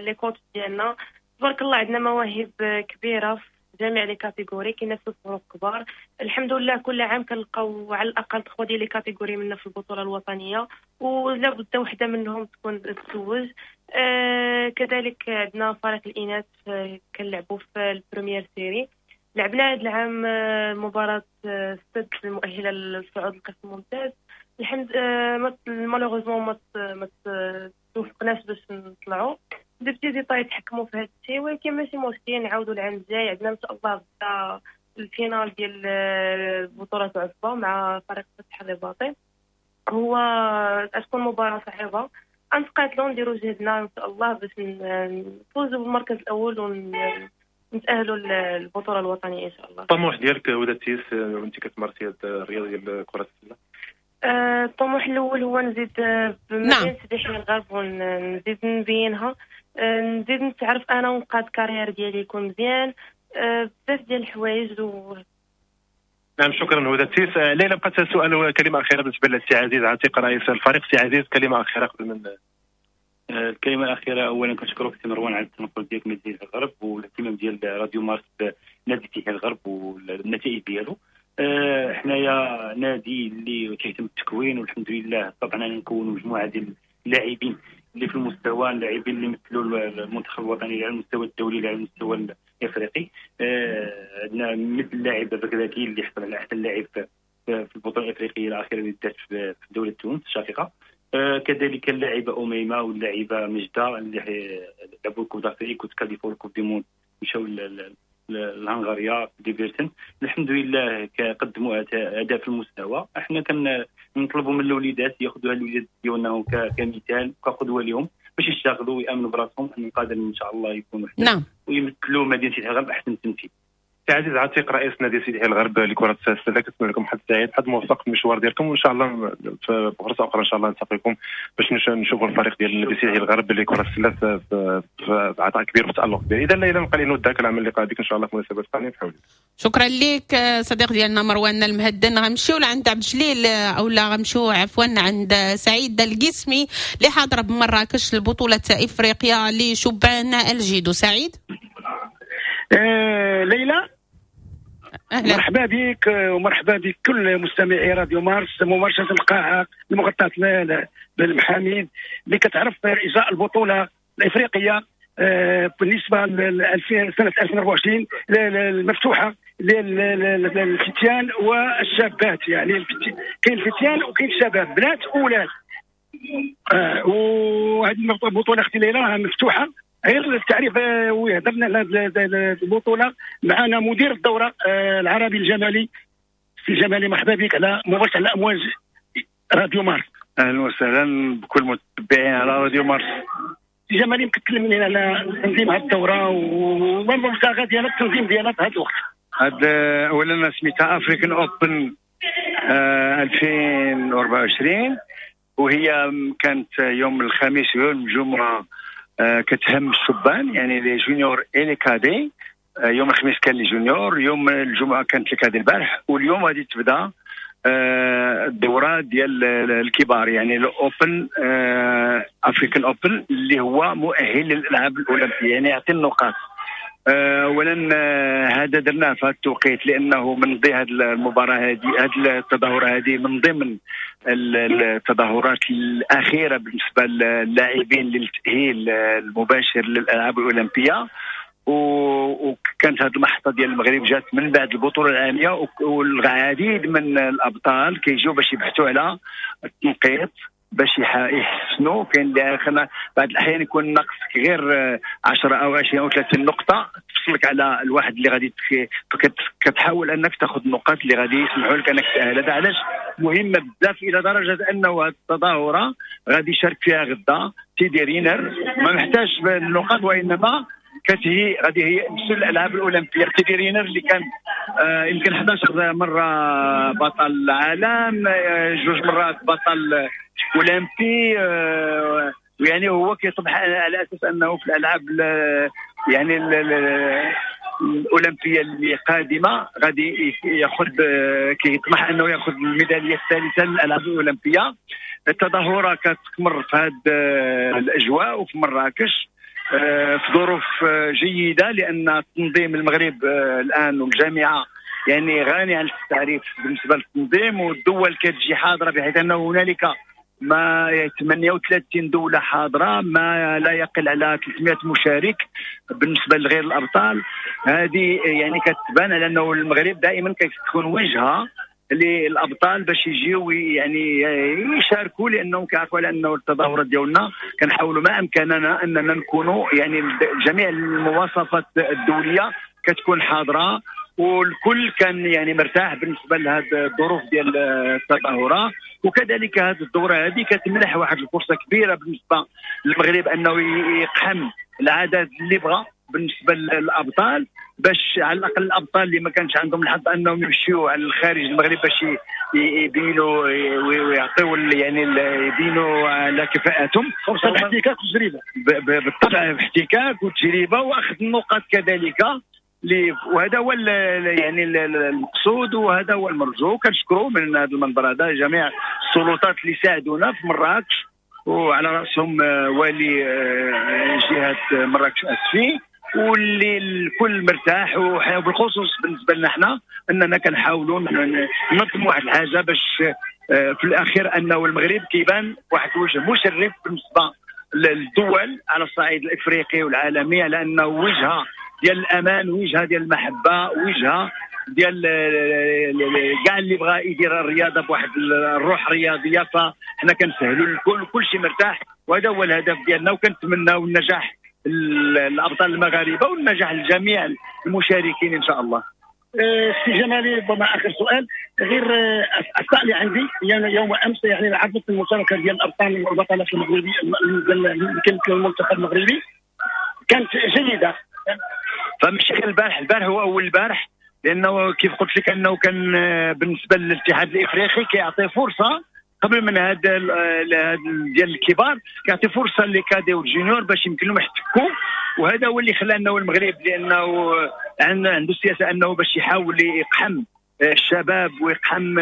les coachs ديالنا تبارك الله عندنا مواهب كبيرة في جميع les catégories، كينافسوا فرق كبار الحمد لله. كل عام كنلقاو على الاقل 3 ديال les catégories منا في البطولة الوطنية، ولا بد وحده منهم تكون تتوج. كذلك عندنا فريق الاناث كنلعبوا في ال première série. لعبنا هذا العام مباراة السد المؤهلة للصعود للقسم الممتاز. الحمد malheureusement ما توفقناش باش نطلعوا، des petits détails تحكموا في هذا الشيء، ولكن ماشي مشكل، نعاودوا العام الجاي. عندنا ان شاء الله غدا ال finale ديال بطولة عصبة مع فريق فتح الرباطي، هو تكون مباراة صعبة، غنتقاتلوا نديروا جهدنا ان شاء الله باش نفوزوا بالمركز الاول ونتأهلوا للبطولة الوطنية إن شاء الله. الطموح ديالك هدى التيس وأنت كتمارسي هذه الرياضة ديال كرة السلة؟ الطموح الأول هو نزيد بمدينة سيدي يحيى الغرب ونزيد نبينها، نزيد نتعرف أنا ونقاد carrière ديالي يكون مزيان، بزاف ديال الحوايج نعم شكرا هدى التيس. ليلى بقات سؤال وكلمة أخيرة بالنسبة للسي عزيز عتيق رئيس الفريق. سي عزيز كلمة أخيرة قبل من الكلمة الأخيرة. أولا كنشكرك سي مروان على التنقل ديالك من مدينة الغرب والاهتمام ديال راديو مارس بنادي سيدي الغرب والنتائج ديالو. حنايا نادي اللي كيهتم بالتكوين، والحمد لله طبعا نكونوا مجموعة ديال اللاعبين اللي في المستوى، اللاعبين اللي مثلوا المنتخب الوطني على المستوى الدولي على المستوى الافريقي. عندنا مثل اللاعب الركراكي اللي حصل على احسن لاعب في البطولة الافريقية الاخيرة اللي دات في دولة تونس الشقيقة. كذلك اللاعبه اميمة واللاعبه مجده اللي لعبوا ال Coupe d'Afrique وتكاليفوا ال Coupe du monde، مشاو لهنغاريا ديبرتن. الحمد لله قدموا اداء في المستوى. احنا كنطلبوا من الوليدات ياخذوا الوليدات ديالنا كمثال وكقدوه لهم باش يشتغلوا ويامنوا براسهم ان قادرين ان شاء الله يكونوا نعم ويمثلوا مدينة الغرب احسن تمثيل. سي عزيز عتيق رئيس نادي سيدي يحيى الغرب لكرة السلة، كنتمنى لكم حظ سعيد، حظ موفق في المشوار ديالكم، وان شاء الله في فرصة اخرى ان شاء الله نلتقيكم باش نشوفوا الفريق ديال نادي سيدي يحيى الغرب لكرة السلة في عطاء كبير وتالق كبير. اذا ليلى نبقى نودعك العمل اللقاء بك ان شاء الله في مناسبة ثانية في حولي. شكرا لك صديق ديالنا مروان المهدن. غنمشيو لعند عبد الجليل او لا غنمشيو عفوا عند سعيد القسمي اللي حاضر بمراكش البطولة افريقيا لشبان الجيدو. سعيد. ليلى أهلا. مرحبا بك ومرحبا بكل مستمعي راديو مارس، مباشرة القاعة المغطاة بالمحاميد اللي كتعرف إجراء البطولة الإفريقية بالنسبة لسنة 2024 المفتوحة للفتيان والشابات، يعني كاين الفتيان وكاين الشباب، بنات وولاد. وهذه البطولة اختي ليلى راها مفتوحة. غير التعريف وهضرنا على هذه البطولة، معنا مدير الدورة العربي الجمالي سي جمالي، مرحبا بك على مباشرة على امواج راديو مارس. اهلا وسهلا بكل المتابعين على راديو مارس. سي جمالي، يمكن تكلم لنا على تنظيم هذه الدورة وما المبتغى ديالها التنظيم ديالها في هذا الوقت؟ هاد اولا سميتها African Open 2024، وهي كانت يوم الخميس ويوم الجمعة، كتهم الشبان يعني les juniors et les cadets. يوم الخميس كان les juniors، يوم الجمعة كانت les cadets البارح، واليوم غادي تبدا الدورة ديال الكبار يعني ال Open، African Open اللي هو مؤهل للالعاب الاولمبية، يعني يعطي النقاط. اولا هذا درناه في هذا التوقيت لانه من ضمن هذه المباراة هذه، هذه التظاهرة هذه من ضمن التظاهرات الاخيرة بالنسبة للاعبين للتاهيل المباشر للالعاب الاولمبية. وكانت هذه المحطة ديال المغرب جات من بعد البطولة العالمية، والعديد من الابطال كيجيو باش يبحثوا على التنقيط باش يحسنوا. كاين اللي بعض الاحيان يكون ناقصك غير 10 او 20 او 30 نقطة تفصلك على الواحد اللي غادي كتحاول انك تاخذ النقاط اللي غادي يسمحوا لك انك تاهل. هذا علاش مهمة بزاف، الى درجه انه هذه التظاهرة غادي يشارك فيها غدا تيدي رينر، ما محتاج النقاط وانما كتهي غادي هي نفس الالعاب الاولمبية. تيدي رينر اللي كان يمكن 11 مرة بطل العالم، 2 مرات بطل اولمبي، يعني هو كيطمح على اساس انه في الالعاب يعني الاولمبية اللي قادمة غادي ياخذ، كيطمح انه ياخذ الميداليه الثالثة للالعاب الاولمبية. التظاهرة كتمر في هذه الاجواء وفي مراكش في ظروف جيدة، لان تنظيم المغرب الان والجامعة يعني غني عن التعريف بالنسبة للتنظيم، والدول كتجي حاضره بحيث انه هنالك ما 38 دولة حاضره، ما لا يقل على 300 مشارك بالنسبة لغير الابطال. هذه يعني كتبان على انه المغرب دائما كتكون وجهه للابطال باش يجيو يعني يشاركوا، لانهم كيعرفوا على انه التظاهرات ديالنا كنحاولوا ما امكاننا اننا نكونوا يعني جميع المواصفات الدولية كتكون حاضره، والكل كان يعني مرتاح بالنسبة لهذه الظروف ديال التظاهرة. وكذلك هذه الدورة هذه كتمنح واحد الفرصة كبيرة بالنسبة للمغرب انه يقحم العدد اللي بغى بالنسبة للابطال، باش على الاقل الابطال اللي ما كانش عندهم الحظ انهم يمشيو على الخارج المغرب باش يبينوا ويعطيو يعني يبينوا على كفاءتهم. فرصة الاحتكاك والتجربة، بالطبع احتكاك وتجربه واخذ النقاط كذلك، وهذا هو يعني المقصود وهذا هو المرجو. كنشكروا من هذا المنبر هذا جميع السلطات اللي ساعدونا في مراكش، وعلى راسهم والي جهة مراكش اسفي، واللي الكل مرتاح، وبالخصوص بالنسبة لنا حنا اننا كنحاولوا ننظموا واحد الحاجة باش في الاخير انه المغرب كيبان واحد الوجه مشرف بالنسبة للدول على الصعيد الافريقي والعالمي، على انه وجهه ديال الامان، وجهه ديال المحبة، وجهه ديال كاع اللي بغى يدير الرياضة بواحد الروح رياضية. فحنا كنسهلوا للكل، كل شيء مرتاح، وهذا هو الهدف ديالنا، وكنتمناو النجاح الابطال المغاربة والنجاح لجميع المشاركين ان شاء الله. سي جمالي، ربما اخر سؤال، غير الاخطاء اللي عندي يعني يوم امس يعني عرضت المشاركة ديال الابطال والبطلات المغربي المنتخب المغربي كانت جيدة، فماشي غير البارح، البارح هو اول البارح، لانه كيف قلت لك انه كان بالنسبة للاتحاد الافريقي كيعطي فرصة قبل من هذا ديال الكبار، كيعطي فرصة les cadets وال juniors باش يمكن لهم يحتكوا. وهذا هو اللي خلى انه المغرب، لانه عنده السياسة انه باش يحاول يقحم الشباب ويقحم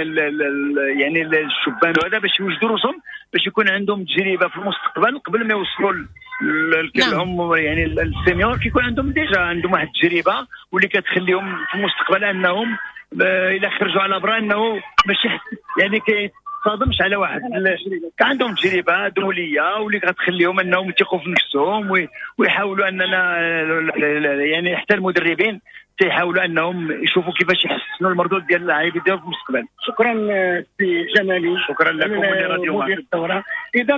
يعني الشبان، وهذا باش يوجدوا راسهم باش يكون عندهم تجربه في المستقبل قبل ما يوصلوا هم يعني ال seniors، كيكون عندهم déjà عندهم واحد التجربة واللي كتخليهم في المستقبل انهم الى خرجوا على برا انه ماشي يعني كيتصادمش على واحد، عندهم تجربه دولية واللي كتخليهم انهم يثقوا في نفسهم ويحاولوا اننا يعني حتى المدربين تيحاولوا انهم يشوفوا كيفاش يحسنوا المردود ديال اللاعبين ديالهم في المستقبل. شكرا سي جمالي، شكرا لكم ولراديو مدير الدورة. اذا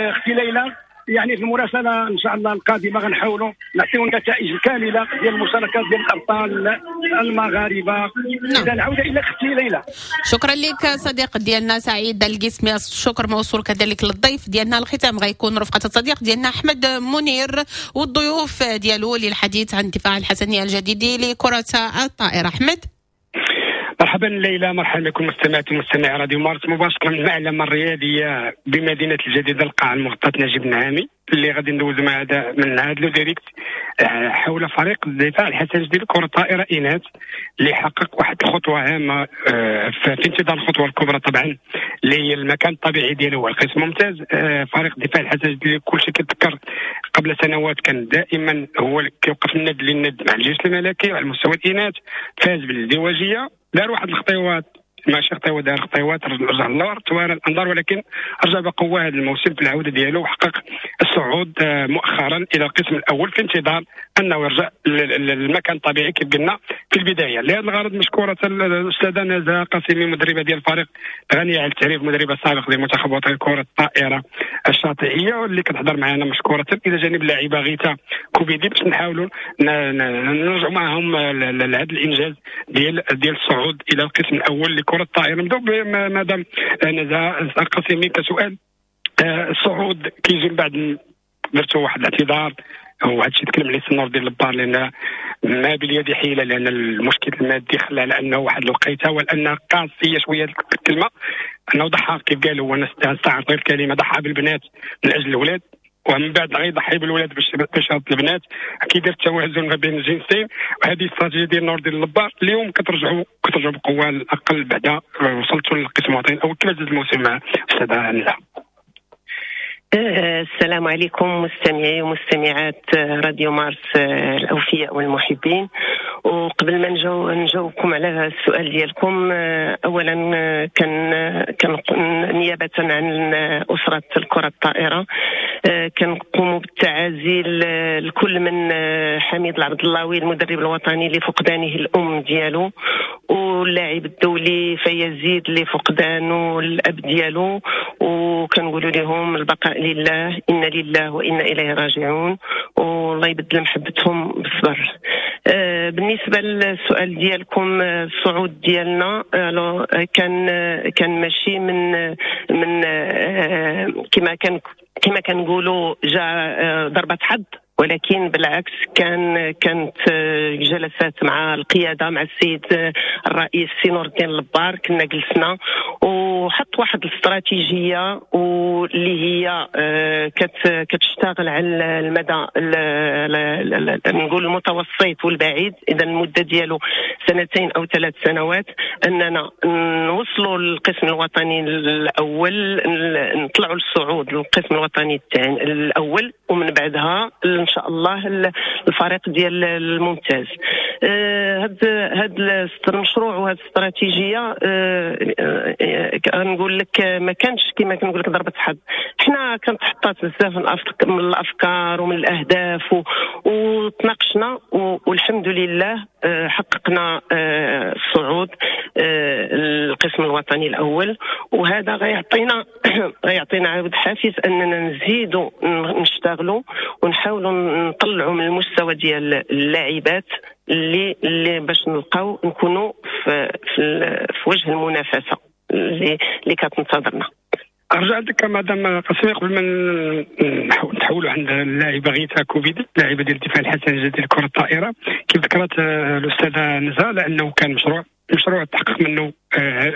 اختي ليلى، يعني في المراسله ان شاء الله القادمة غنحاولوا نعطيو النتائج الكاملة ديال المشاركات ديال الابطال المغاربة. اذا العودة الى اختي ليلى. شكرا لك صديق ديالنا سعيد القسمي، الشكر موصول كذلك للضيف ديالنا. الختام غيكون رفقه الصديق ديالنا احمد منير والضيوف ديالو للحديث عن الدفاع الحسني الجديد لكرة الطائرة. احمد. مرحبا ليلى، مرحبا بكم مستمعات ومستمعي راديو مارس مباشرة من المعلمة الرياضية بمدينة الجديدة القاعة المغطاه نجيب النعامي، اللي غادي ندوز مع هذا من هذا le direct حول فريق الدفاع الحسني الجديد كره الطائرة اناث، اللي حقق واحد الخطوة هامة في انتظار الخطوة الكبرى طبعا اللي هي المكان الطبيعي ديالو هو القسم الممتاز. فريق الدفاع الحسني الجديد كلشي كيتذكر قبل سنوات كان دائما هو كيوقف الند للند مع الجيش الملكي على مستوى الاناث، فاز بالازدواجيه، دار واحد الخطيوات ماشي خطيوه، دار خطيوات رجع للور توارى الانظار، ولكن رجع بقوة هذا الموسم في العودة ديالو وحقق الصعود مؤخرا الى القسم الاول في انتظار انه يرجع للمكان الطبيعي كيف قلنا في البداية. لهذا الغرض مشكورة الاستاذة نزهه قاسمي مدربه ديال الفريق غنية على التعريف، مدربه سابق لمنتخب وطني كره الطائرة الشاطئيه واللي كتحضر معنا مشكورة، الى جانب اللاعبه غيتا كوبيدي باش نحاولوا نرجعوا معهم لهذا الانجاز ديال الصعود الى القسم الاول لكرة الطائرة. نبداو مدام نزهه قاسمي كسؤال، الصعود كيجي من بعد درتو واحد الاعتذار وهذا الشيء تكلم عليه السي نور الدين لبار، لان ما باليد حيله، لان المشكل المادي خلى على انه واحد الوقيته ولان قاسية شوية الكلمة، انه ضحى كيف قال هو، نستعرض غير الكلمة، ضحى بالبنات من اجل الاولاد ومن بعد غيضحي بالولاد باش يرد البنات، كيدير التوازن ما بين الجنسين. وهذه الاستراتيجية ديال نور الدين لبار. اليوم كترجعوا بقوة على الاقل بعدا وصلتوا للقسم الوطني الاول، كيفاش داز الموسم مع استاذه نزهه؟ السلام عليكم مستمعي ومستمعات راديو مارس الأوفياء والمحبين. وقبل ما نجاوبكم على السؤال ديالكم، أولا كان نيابة عن أسرة الكرة الطائرة كنقوم بالتعازي لكل من حميد العبد اللاوي المدرب الوطني لفقدانه الأم ديالو، واللاعب الدولي فيزيد لفقدانه الأب ديالو، وكنقولوا لهم البقاء لله، إنا لله وإنا إليه راجعون، والله يبدل محبتهم بالصبر. بالنسبة للسؤال ديالكم، الصعود ديالنا كان ماشي من كما كنقولوا جاء ضربة حظ، ولكن بالعكس كانت جلسات مع القيادة، مع السيد الرئيس سي نور الدين لبار، كنا جلسنا وحط واحد الاستراتيجية واللي هي كتشتغل على المدى نقول المتوسط والبعيد، اذا المدة ديالو 2 أو 3 سنوات، اننا نوصلوا للقسم الوطني الاول، نطلعوا للصعود للقسم الوطني الاول، ومن بعدها ان شاء الله الفريق ديال الممتاز. هذا المشروع وهذه الاستراتيجية نقول لك ما كانش كما كنقول لك ضربه حظ، حنا كانت حطات بزاف من الافكار ومن الاهداف وتناقشنا، والحمد لله حققنا الصعود القسم الوطني الاول، وهذا غيعطينا عاود حافز اننا نزيدوا نشتغلوا ونحاولوا نطلعوا من المستوى ديال اللاعبات اللي باش نلقاو نكونوا في وجه المنافسة اللي كتنتظرنا. ارجع عندك مدام قاسمي قبل ما نتحولوا عند اللاعبه غيتا كوفيدي، اللاعبه ديال الدفاع الحسني الجديد لكرة الطائرة. كيف ذكرت الاستاذة نزهه لانه كان مشروع تحقق منه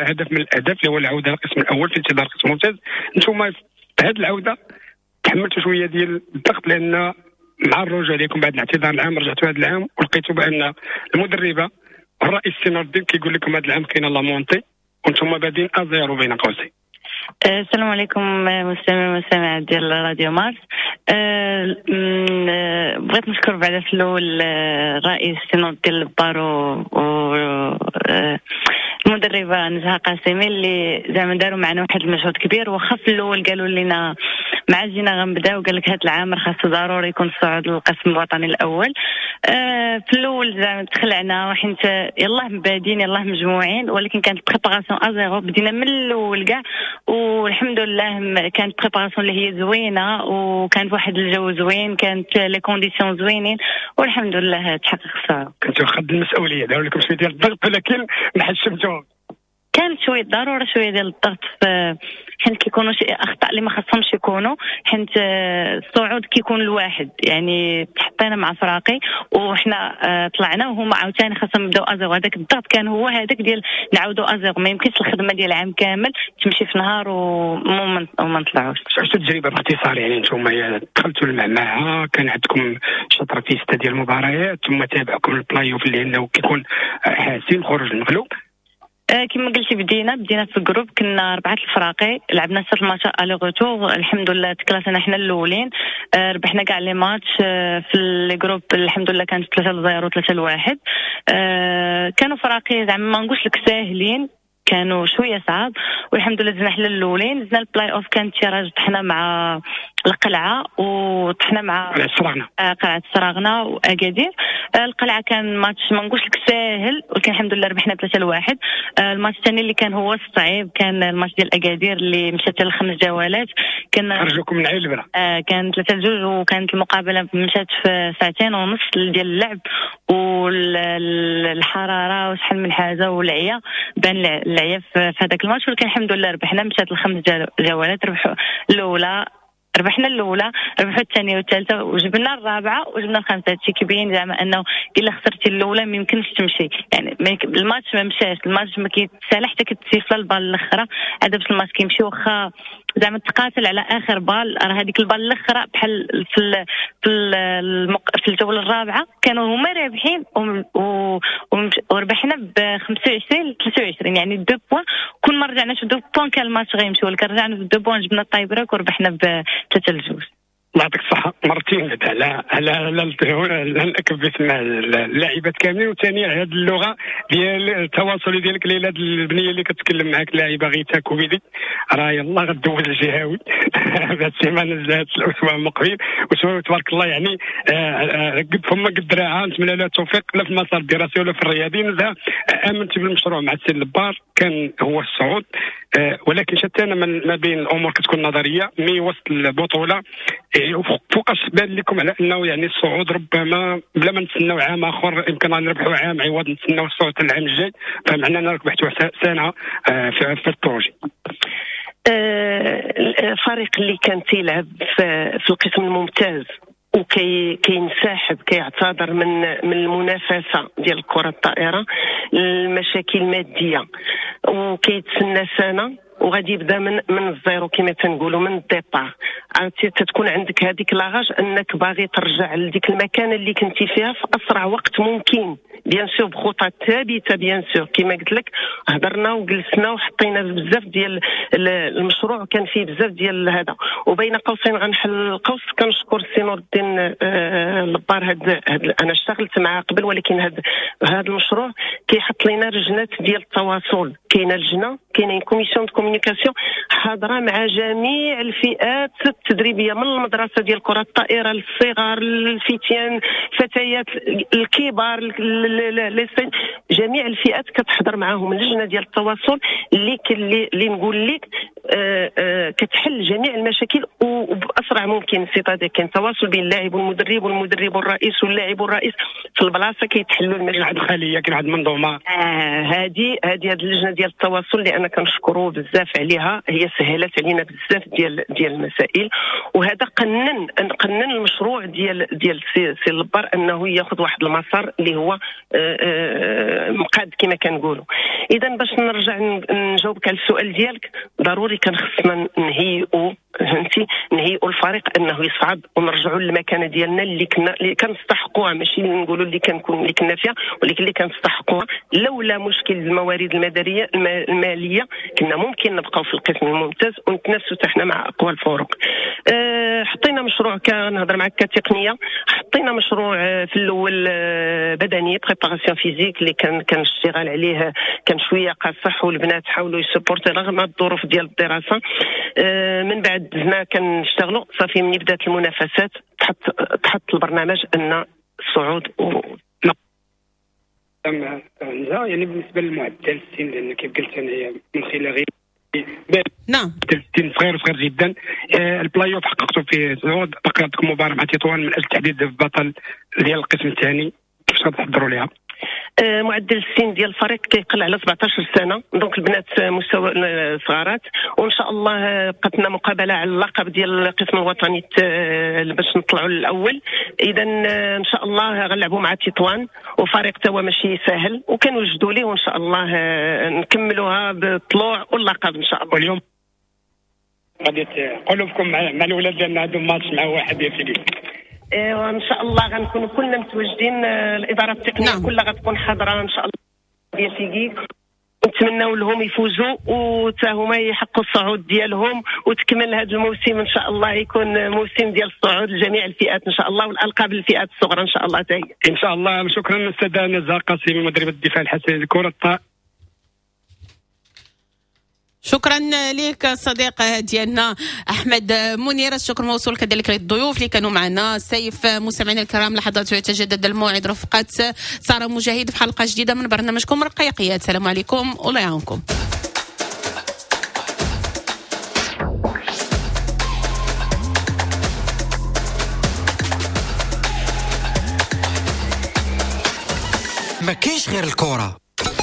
هدف من الاهداف اللي هو العودة للقسم الاول في انتظار القسم الممتاز. انتم في هذه العودة تحملتوا شوية ديال الضغط، لان مع الرجوع لكم بعد الاعتذار العام رجعتوا هذا العام ولقيتوا بان المدربه الرئيس سي نور الدين كيقول لكم هذا العام كاينه la montée وانتم بادين à zéro بين قوسين. السلام عليكم مستمعين والمستمعات ديال راديو مارس. بغيت نشكر بعدا في الاول الرئيس سي نور الدين البار و المدربه نزهه قاسمي اللي زعما داروا معنا واحد المجهود كبير. واخا في الاول قالوا لنا مع جينا غنبداو قال لك هذا العام راه خاصو ضروري يكون الصعود للقسم الوطني الاول. في الاول زعما تخلعنا حيت يلاه بادين يلاه مجموعين، ولكن كانت préparation à zéro، بدينا من الاول كاع والحمد لله كانت préparation اللي هي زوينة وكان واحد الجو زوين، كانت les conditions زوينين والحمد لله تحقق الصعود. كنتو قد المسؤولية، داروا لكم شوية ديال الضغط ولكن ما حشمتوهم. كانت شوية ضرورة شوية ديال الضغط حيت كيكونوا شي اخطاء اللي ما خصهمش يكونوا، حيت الصعود كيكون الواحد، يعني تحطينا مع فراقي وحنا طلعنا وهما عاوتاني خاصهم يبداو à zéro. هذاك الضغط كان هو هذاك ديال نعاودوا à zéro، ما يمكنش الخدمة ديال العام كامل تمشي في نهار وما نطلعوش. عشتوا التجربة باختصار، يعني انتم دخلتوا المعمعة كان عندكم شطره في 6 ديال المباريات، ثم تابعكم البلاي اوف اللي انه كيكون حاسم خروج المغلوب. كما قلتي بدينا في ال groupe، كنا 4 الفراقي، لعبنا 6 الماتشات aller-retour، الحمد لله تكلاسينا حنا الاولين، ربحنا كاع les matchs في les groupes الحمد لله، كانت 3-0 3-1. كانوا فراقي زعما ما نقولش لك ساهلين، كانوا شوية صعاب والحمد لله دزنا حنا الاولين. دزنا البلاي اوف كان tirage، طحنا مع القلعة وطحنا مع السراغنه، قلعه السراغنه واكادير. القلعة كان ماتش ما نقولش لك ساهل ولكن الحمد لله ربحنا 3-1. الماتش الثاني اللي كان هو الصعيب كان الماتش ديال اكادير اللي مشات ل5 جولات، كان خرجوكم من عين البرا، كان 3-2 وكانت المقابلة مشات في 2.5 ساعة ديال اللعب والحرارة وشحال من حاجة والعيا، بان العيا في هذاك الماتش، ولكن الحمد لله ربحنا. مشات ل5 جولات، ربحوا الاولى، ربحنا الاولى، ربحوا الثانية والثالثة وجبنا الرابعة وجبنا الخامسة. هادشي كيبين زعما انه الا خسرتي الاولى ما يمكنش تمشي، يعني الماتش ما مشاش، الماتش ما كيتسالح حتى كتسيفلا ال balle الاخرى، هذا باش الماتش كيمشي. واخا زعما تقاتل على اخر balle، راه هذيك ال balle الاخرى بحال في في الجولة الرابعة كانوا هما رابحين وربحنا ب 25-23، يعني 2 points. كون ما رجعناش 2 points كان الماتش غيمشي، ولكن رجعنا ب 2 points جبنا ال tie-break وربحنا ب 3-2. الله يعطيك الصحة مرتين على على على نأكد باسم اللاعبات كاملين، وثانيا على هذه اللغة ديال التواصل ديالك ليلى، البنية اللي كتكلم معاك اللاعبة غيتا كوفيدي راه يلاه غدوز الجهوي هاد السيمانة هاد الأسبوع المقبل، وتبارك الله يعني قد فما قد دراعها. نتمنى لها التوفيق لا في المسار الدراسي ولا في الرياضي. نزهة آمنت بالمشروع مع السي اللبار كان هو الصعود، ولكن شتان ما بين الأمور كتكون نظرية mais وسط البطولة فوقاش بان لكم على انه يعني الصعود ربما بلا ما نتسناو عام اخر يمكن نربحوا عام عوض نتسناو الصعود العام الجاي، فمعنى اننا ربحتوا سنة في ال projet. الفريق اللي كان تيلعب في القسم الممتاز وكي كينسحب كيعتذر من المنافسة ديال الكره الطائرة، المشاكل المادية، وكيتسنى سنة وغادي يبدا من ال zéro كما تنقولوا من ال départ. عرفتي تتكون عندك هذيك la rage انك باغي ترجع لديك المكان اللي كنتي فيها في اسرع وقت ممكن، bien sûr بخطى ثابتة، bien sûr كما قلت لك هضرنا وجلسنا وحطينا بزاف ديال المشروع، كان فيه بزاف ديال هذا. وبين قوسين غنحل القوس، كنشكر السي نور الدين اللبار، هاد انا اشتغلت معاه قبل، ولكن هذا المشروع كيحط لنا لجنات ديال التواصل، كاينه لجنة، كاينه commission de communication حاضره مع جميع الفئات التدريبية، من المدرسة ديال كره الطائرة للصغار، الفتيان، الفتيات، الكبار، جميع الفئات كتحضر معاهم اللجنة ديال التواصل اللي نقول لك كتحل جميع المشاكل وباسرع ممكن. c'est-à-dire كاين تواصل بين اللاعب والمدرب والمدرب والرئيس واللاعب والرئيس في البلاصة، كيتحلوا المشاكل. كاين واحد الخلية، كاين واحد المنظومة. هذه اللجنة ديال التواصل اللي انا كنشكرو بزاف عليها، هي سهلت علينا بزاف ديال المسائل، وهذا قنن المشروع ديال سي اللبار انه ياخذ واحد المسار اللي هو مقاد كما كنقولوا. اذا باش نرجع نجاوبك على السؤال ديالك، ضروري كان خصنا نهيئوا، فهمتي، نهيئوا الفريق انه يصعد ونرجعوا للمكانه ديالنا اللي كنستحقوها، ماشي نقولوا اللي كنا فيها، ولكن اللي كنستحقوها. لولا مشكل الموارد المداريه المالية كنا ممكن نبقاو في القسم الممتاز ونتنافسوا حتى حنا مع اقوى الفرق. حطينا مشروع، كنهضر معك كتقنيه، حطينا مشروع في الاول بدني préparation physique اللي كان الاشتغال عليه كان شوية قاصح، والبنات حاولوا يسبورتي رغم الظروف ديال الدراسة. من بعد دزنا كنشتغلوا صافي، ملي بدات المنافسات تحط البرنامج ان الصعود يعني بالنسبة للمعدل السن، لان كيف قلت انا من خلال غير نعم السن صغير صغير جدا. البلاي اوف حققتوا فيه صعود، بقي عندكم مباراة مع تطوان من اجل تحديد البطل ديال القسم الثاني، كيفاش غتحضروا ليها؟ معدل السن ديال الفريق كيقل على 17 سنة، donc البنات مستوى صغارات، وان شاء الله بقات لنا مقابله على اللقب ديال القسم الوطني باش نطلعوا للاول. اذا ان شاء الله غنلعبوا مع تطوان، وفريق توا ماشي ساهل وكنوجدوا ليه، وان شاء الله نكملوها بالطلوع واللقب ان شاء الله. واليوم غادي قلوبكم مع الاولاد لان عندهم ماتش مع واحد يا سيدي. وان شاء الله غنكونوا كلنا متواجدين، الادارة التقنية نعم. كلها غتكون حاضره ان شاء الله ديال فيكيك، نتمناو لهم يفوزوا وتا هما يحققوا الصعود ديالهم، وتكمل هذا الموسم ان شاء الله يكون موسم ديال الصعود لجميع الفئات ان شاء الله، والالقاب للفئات الصغرى ان شاء الله حتى هي ان شاء الله. شكرا استاذه نزهه قاسمي مدربه الدفاع الحسني لكرة. شكرا لك صديق ديالنا احمد منير، الشكر موصول كذلك للضيوف اللي كانوا معنا. سيف مستمعينا الكرام، لحظات يتجدد الموعد رفقه ساره مجاهد في حلقة جديدة من برنامجكم رقيقيات. السلام عليكم والله يعاونكم. ما كاينش غير الكره.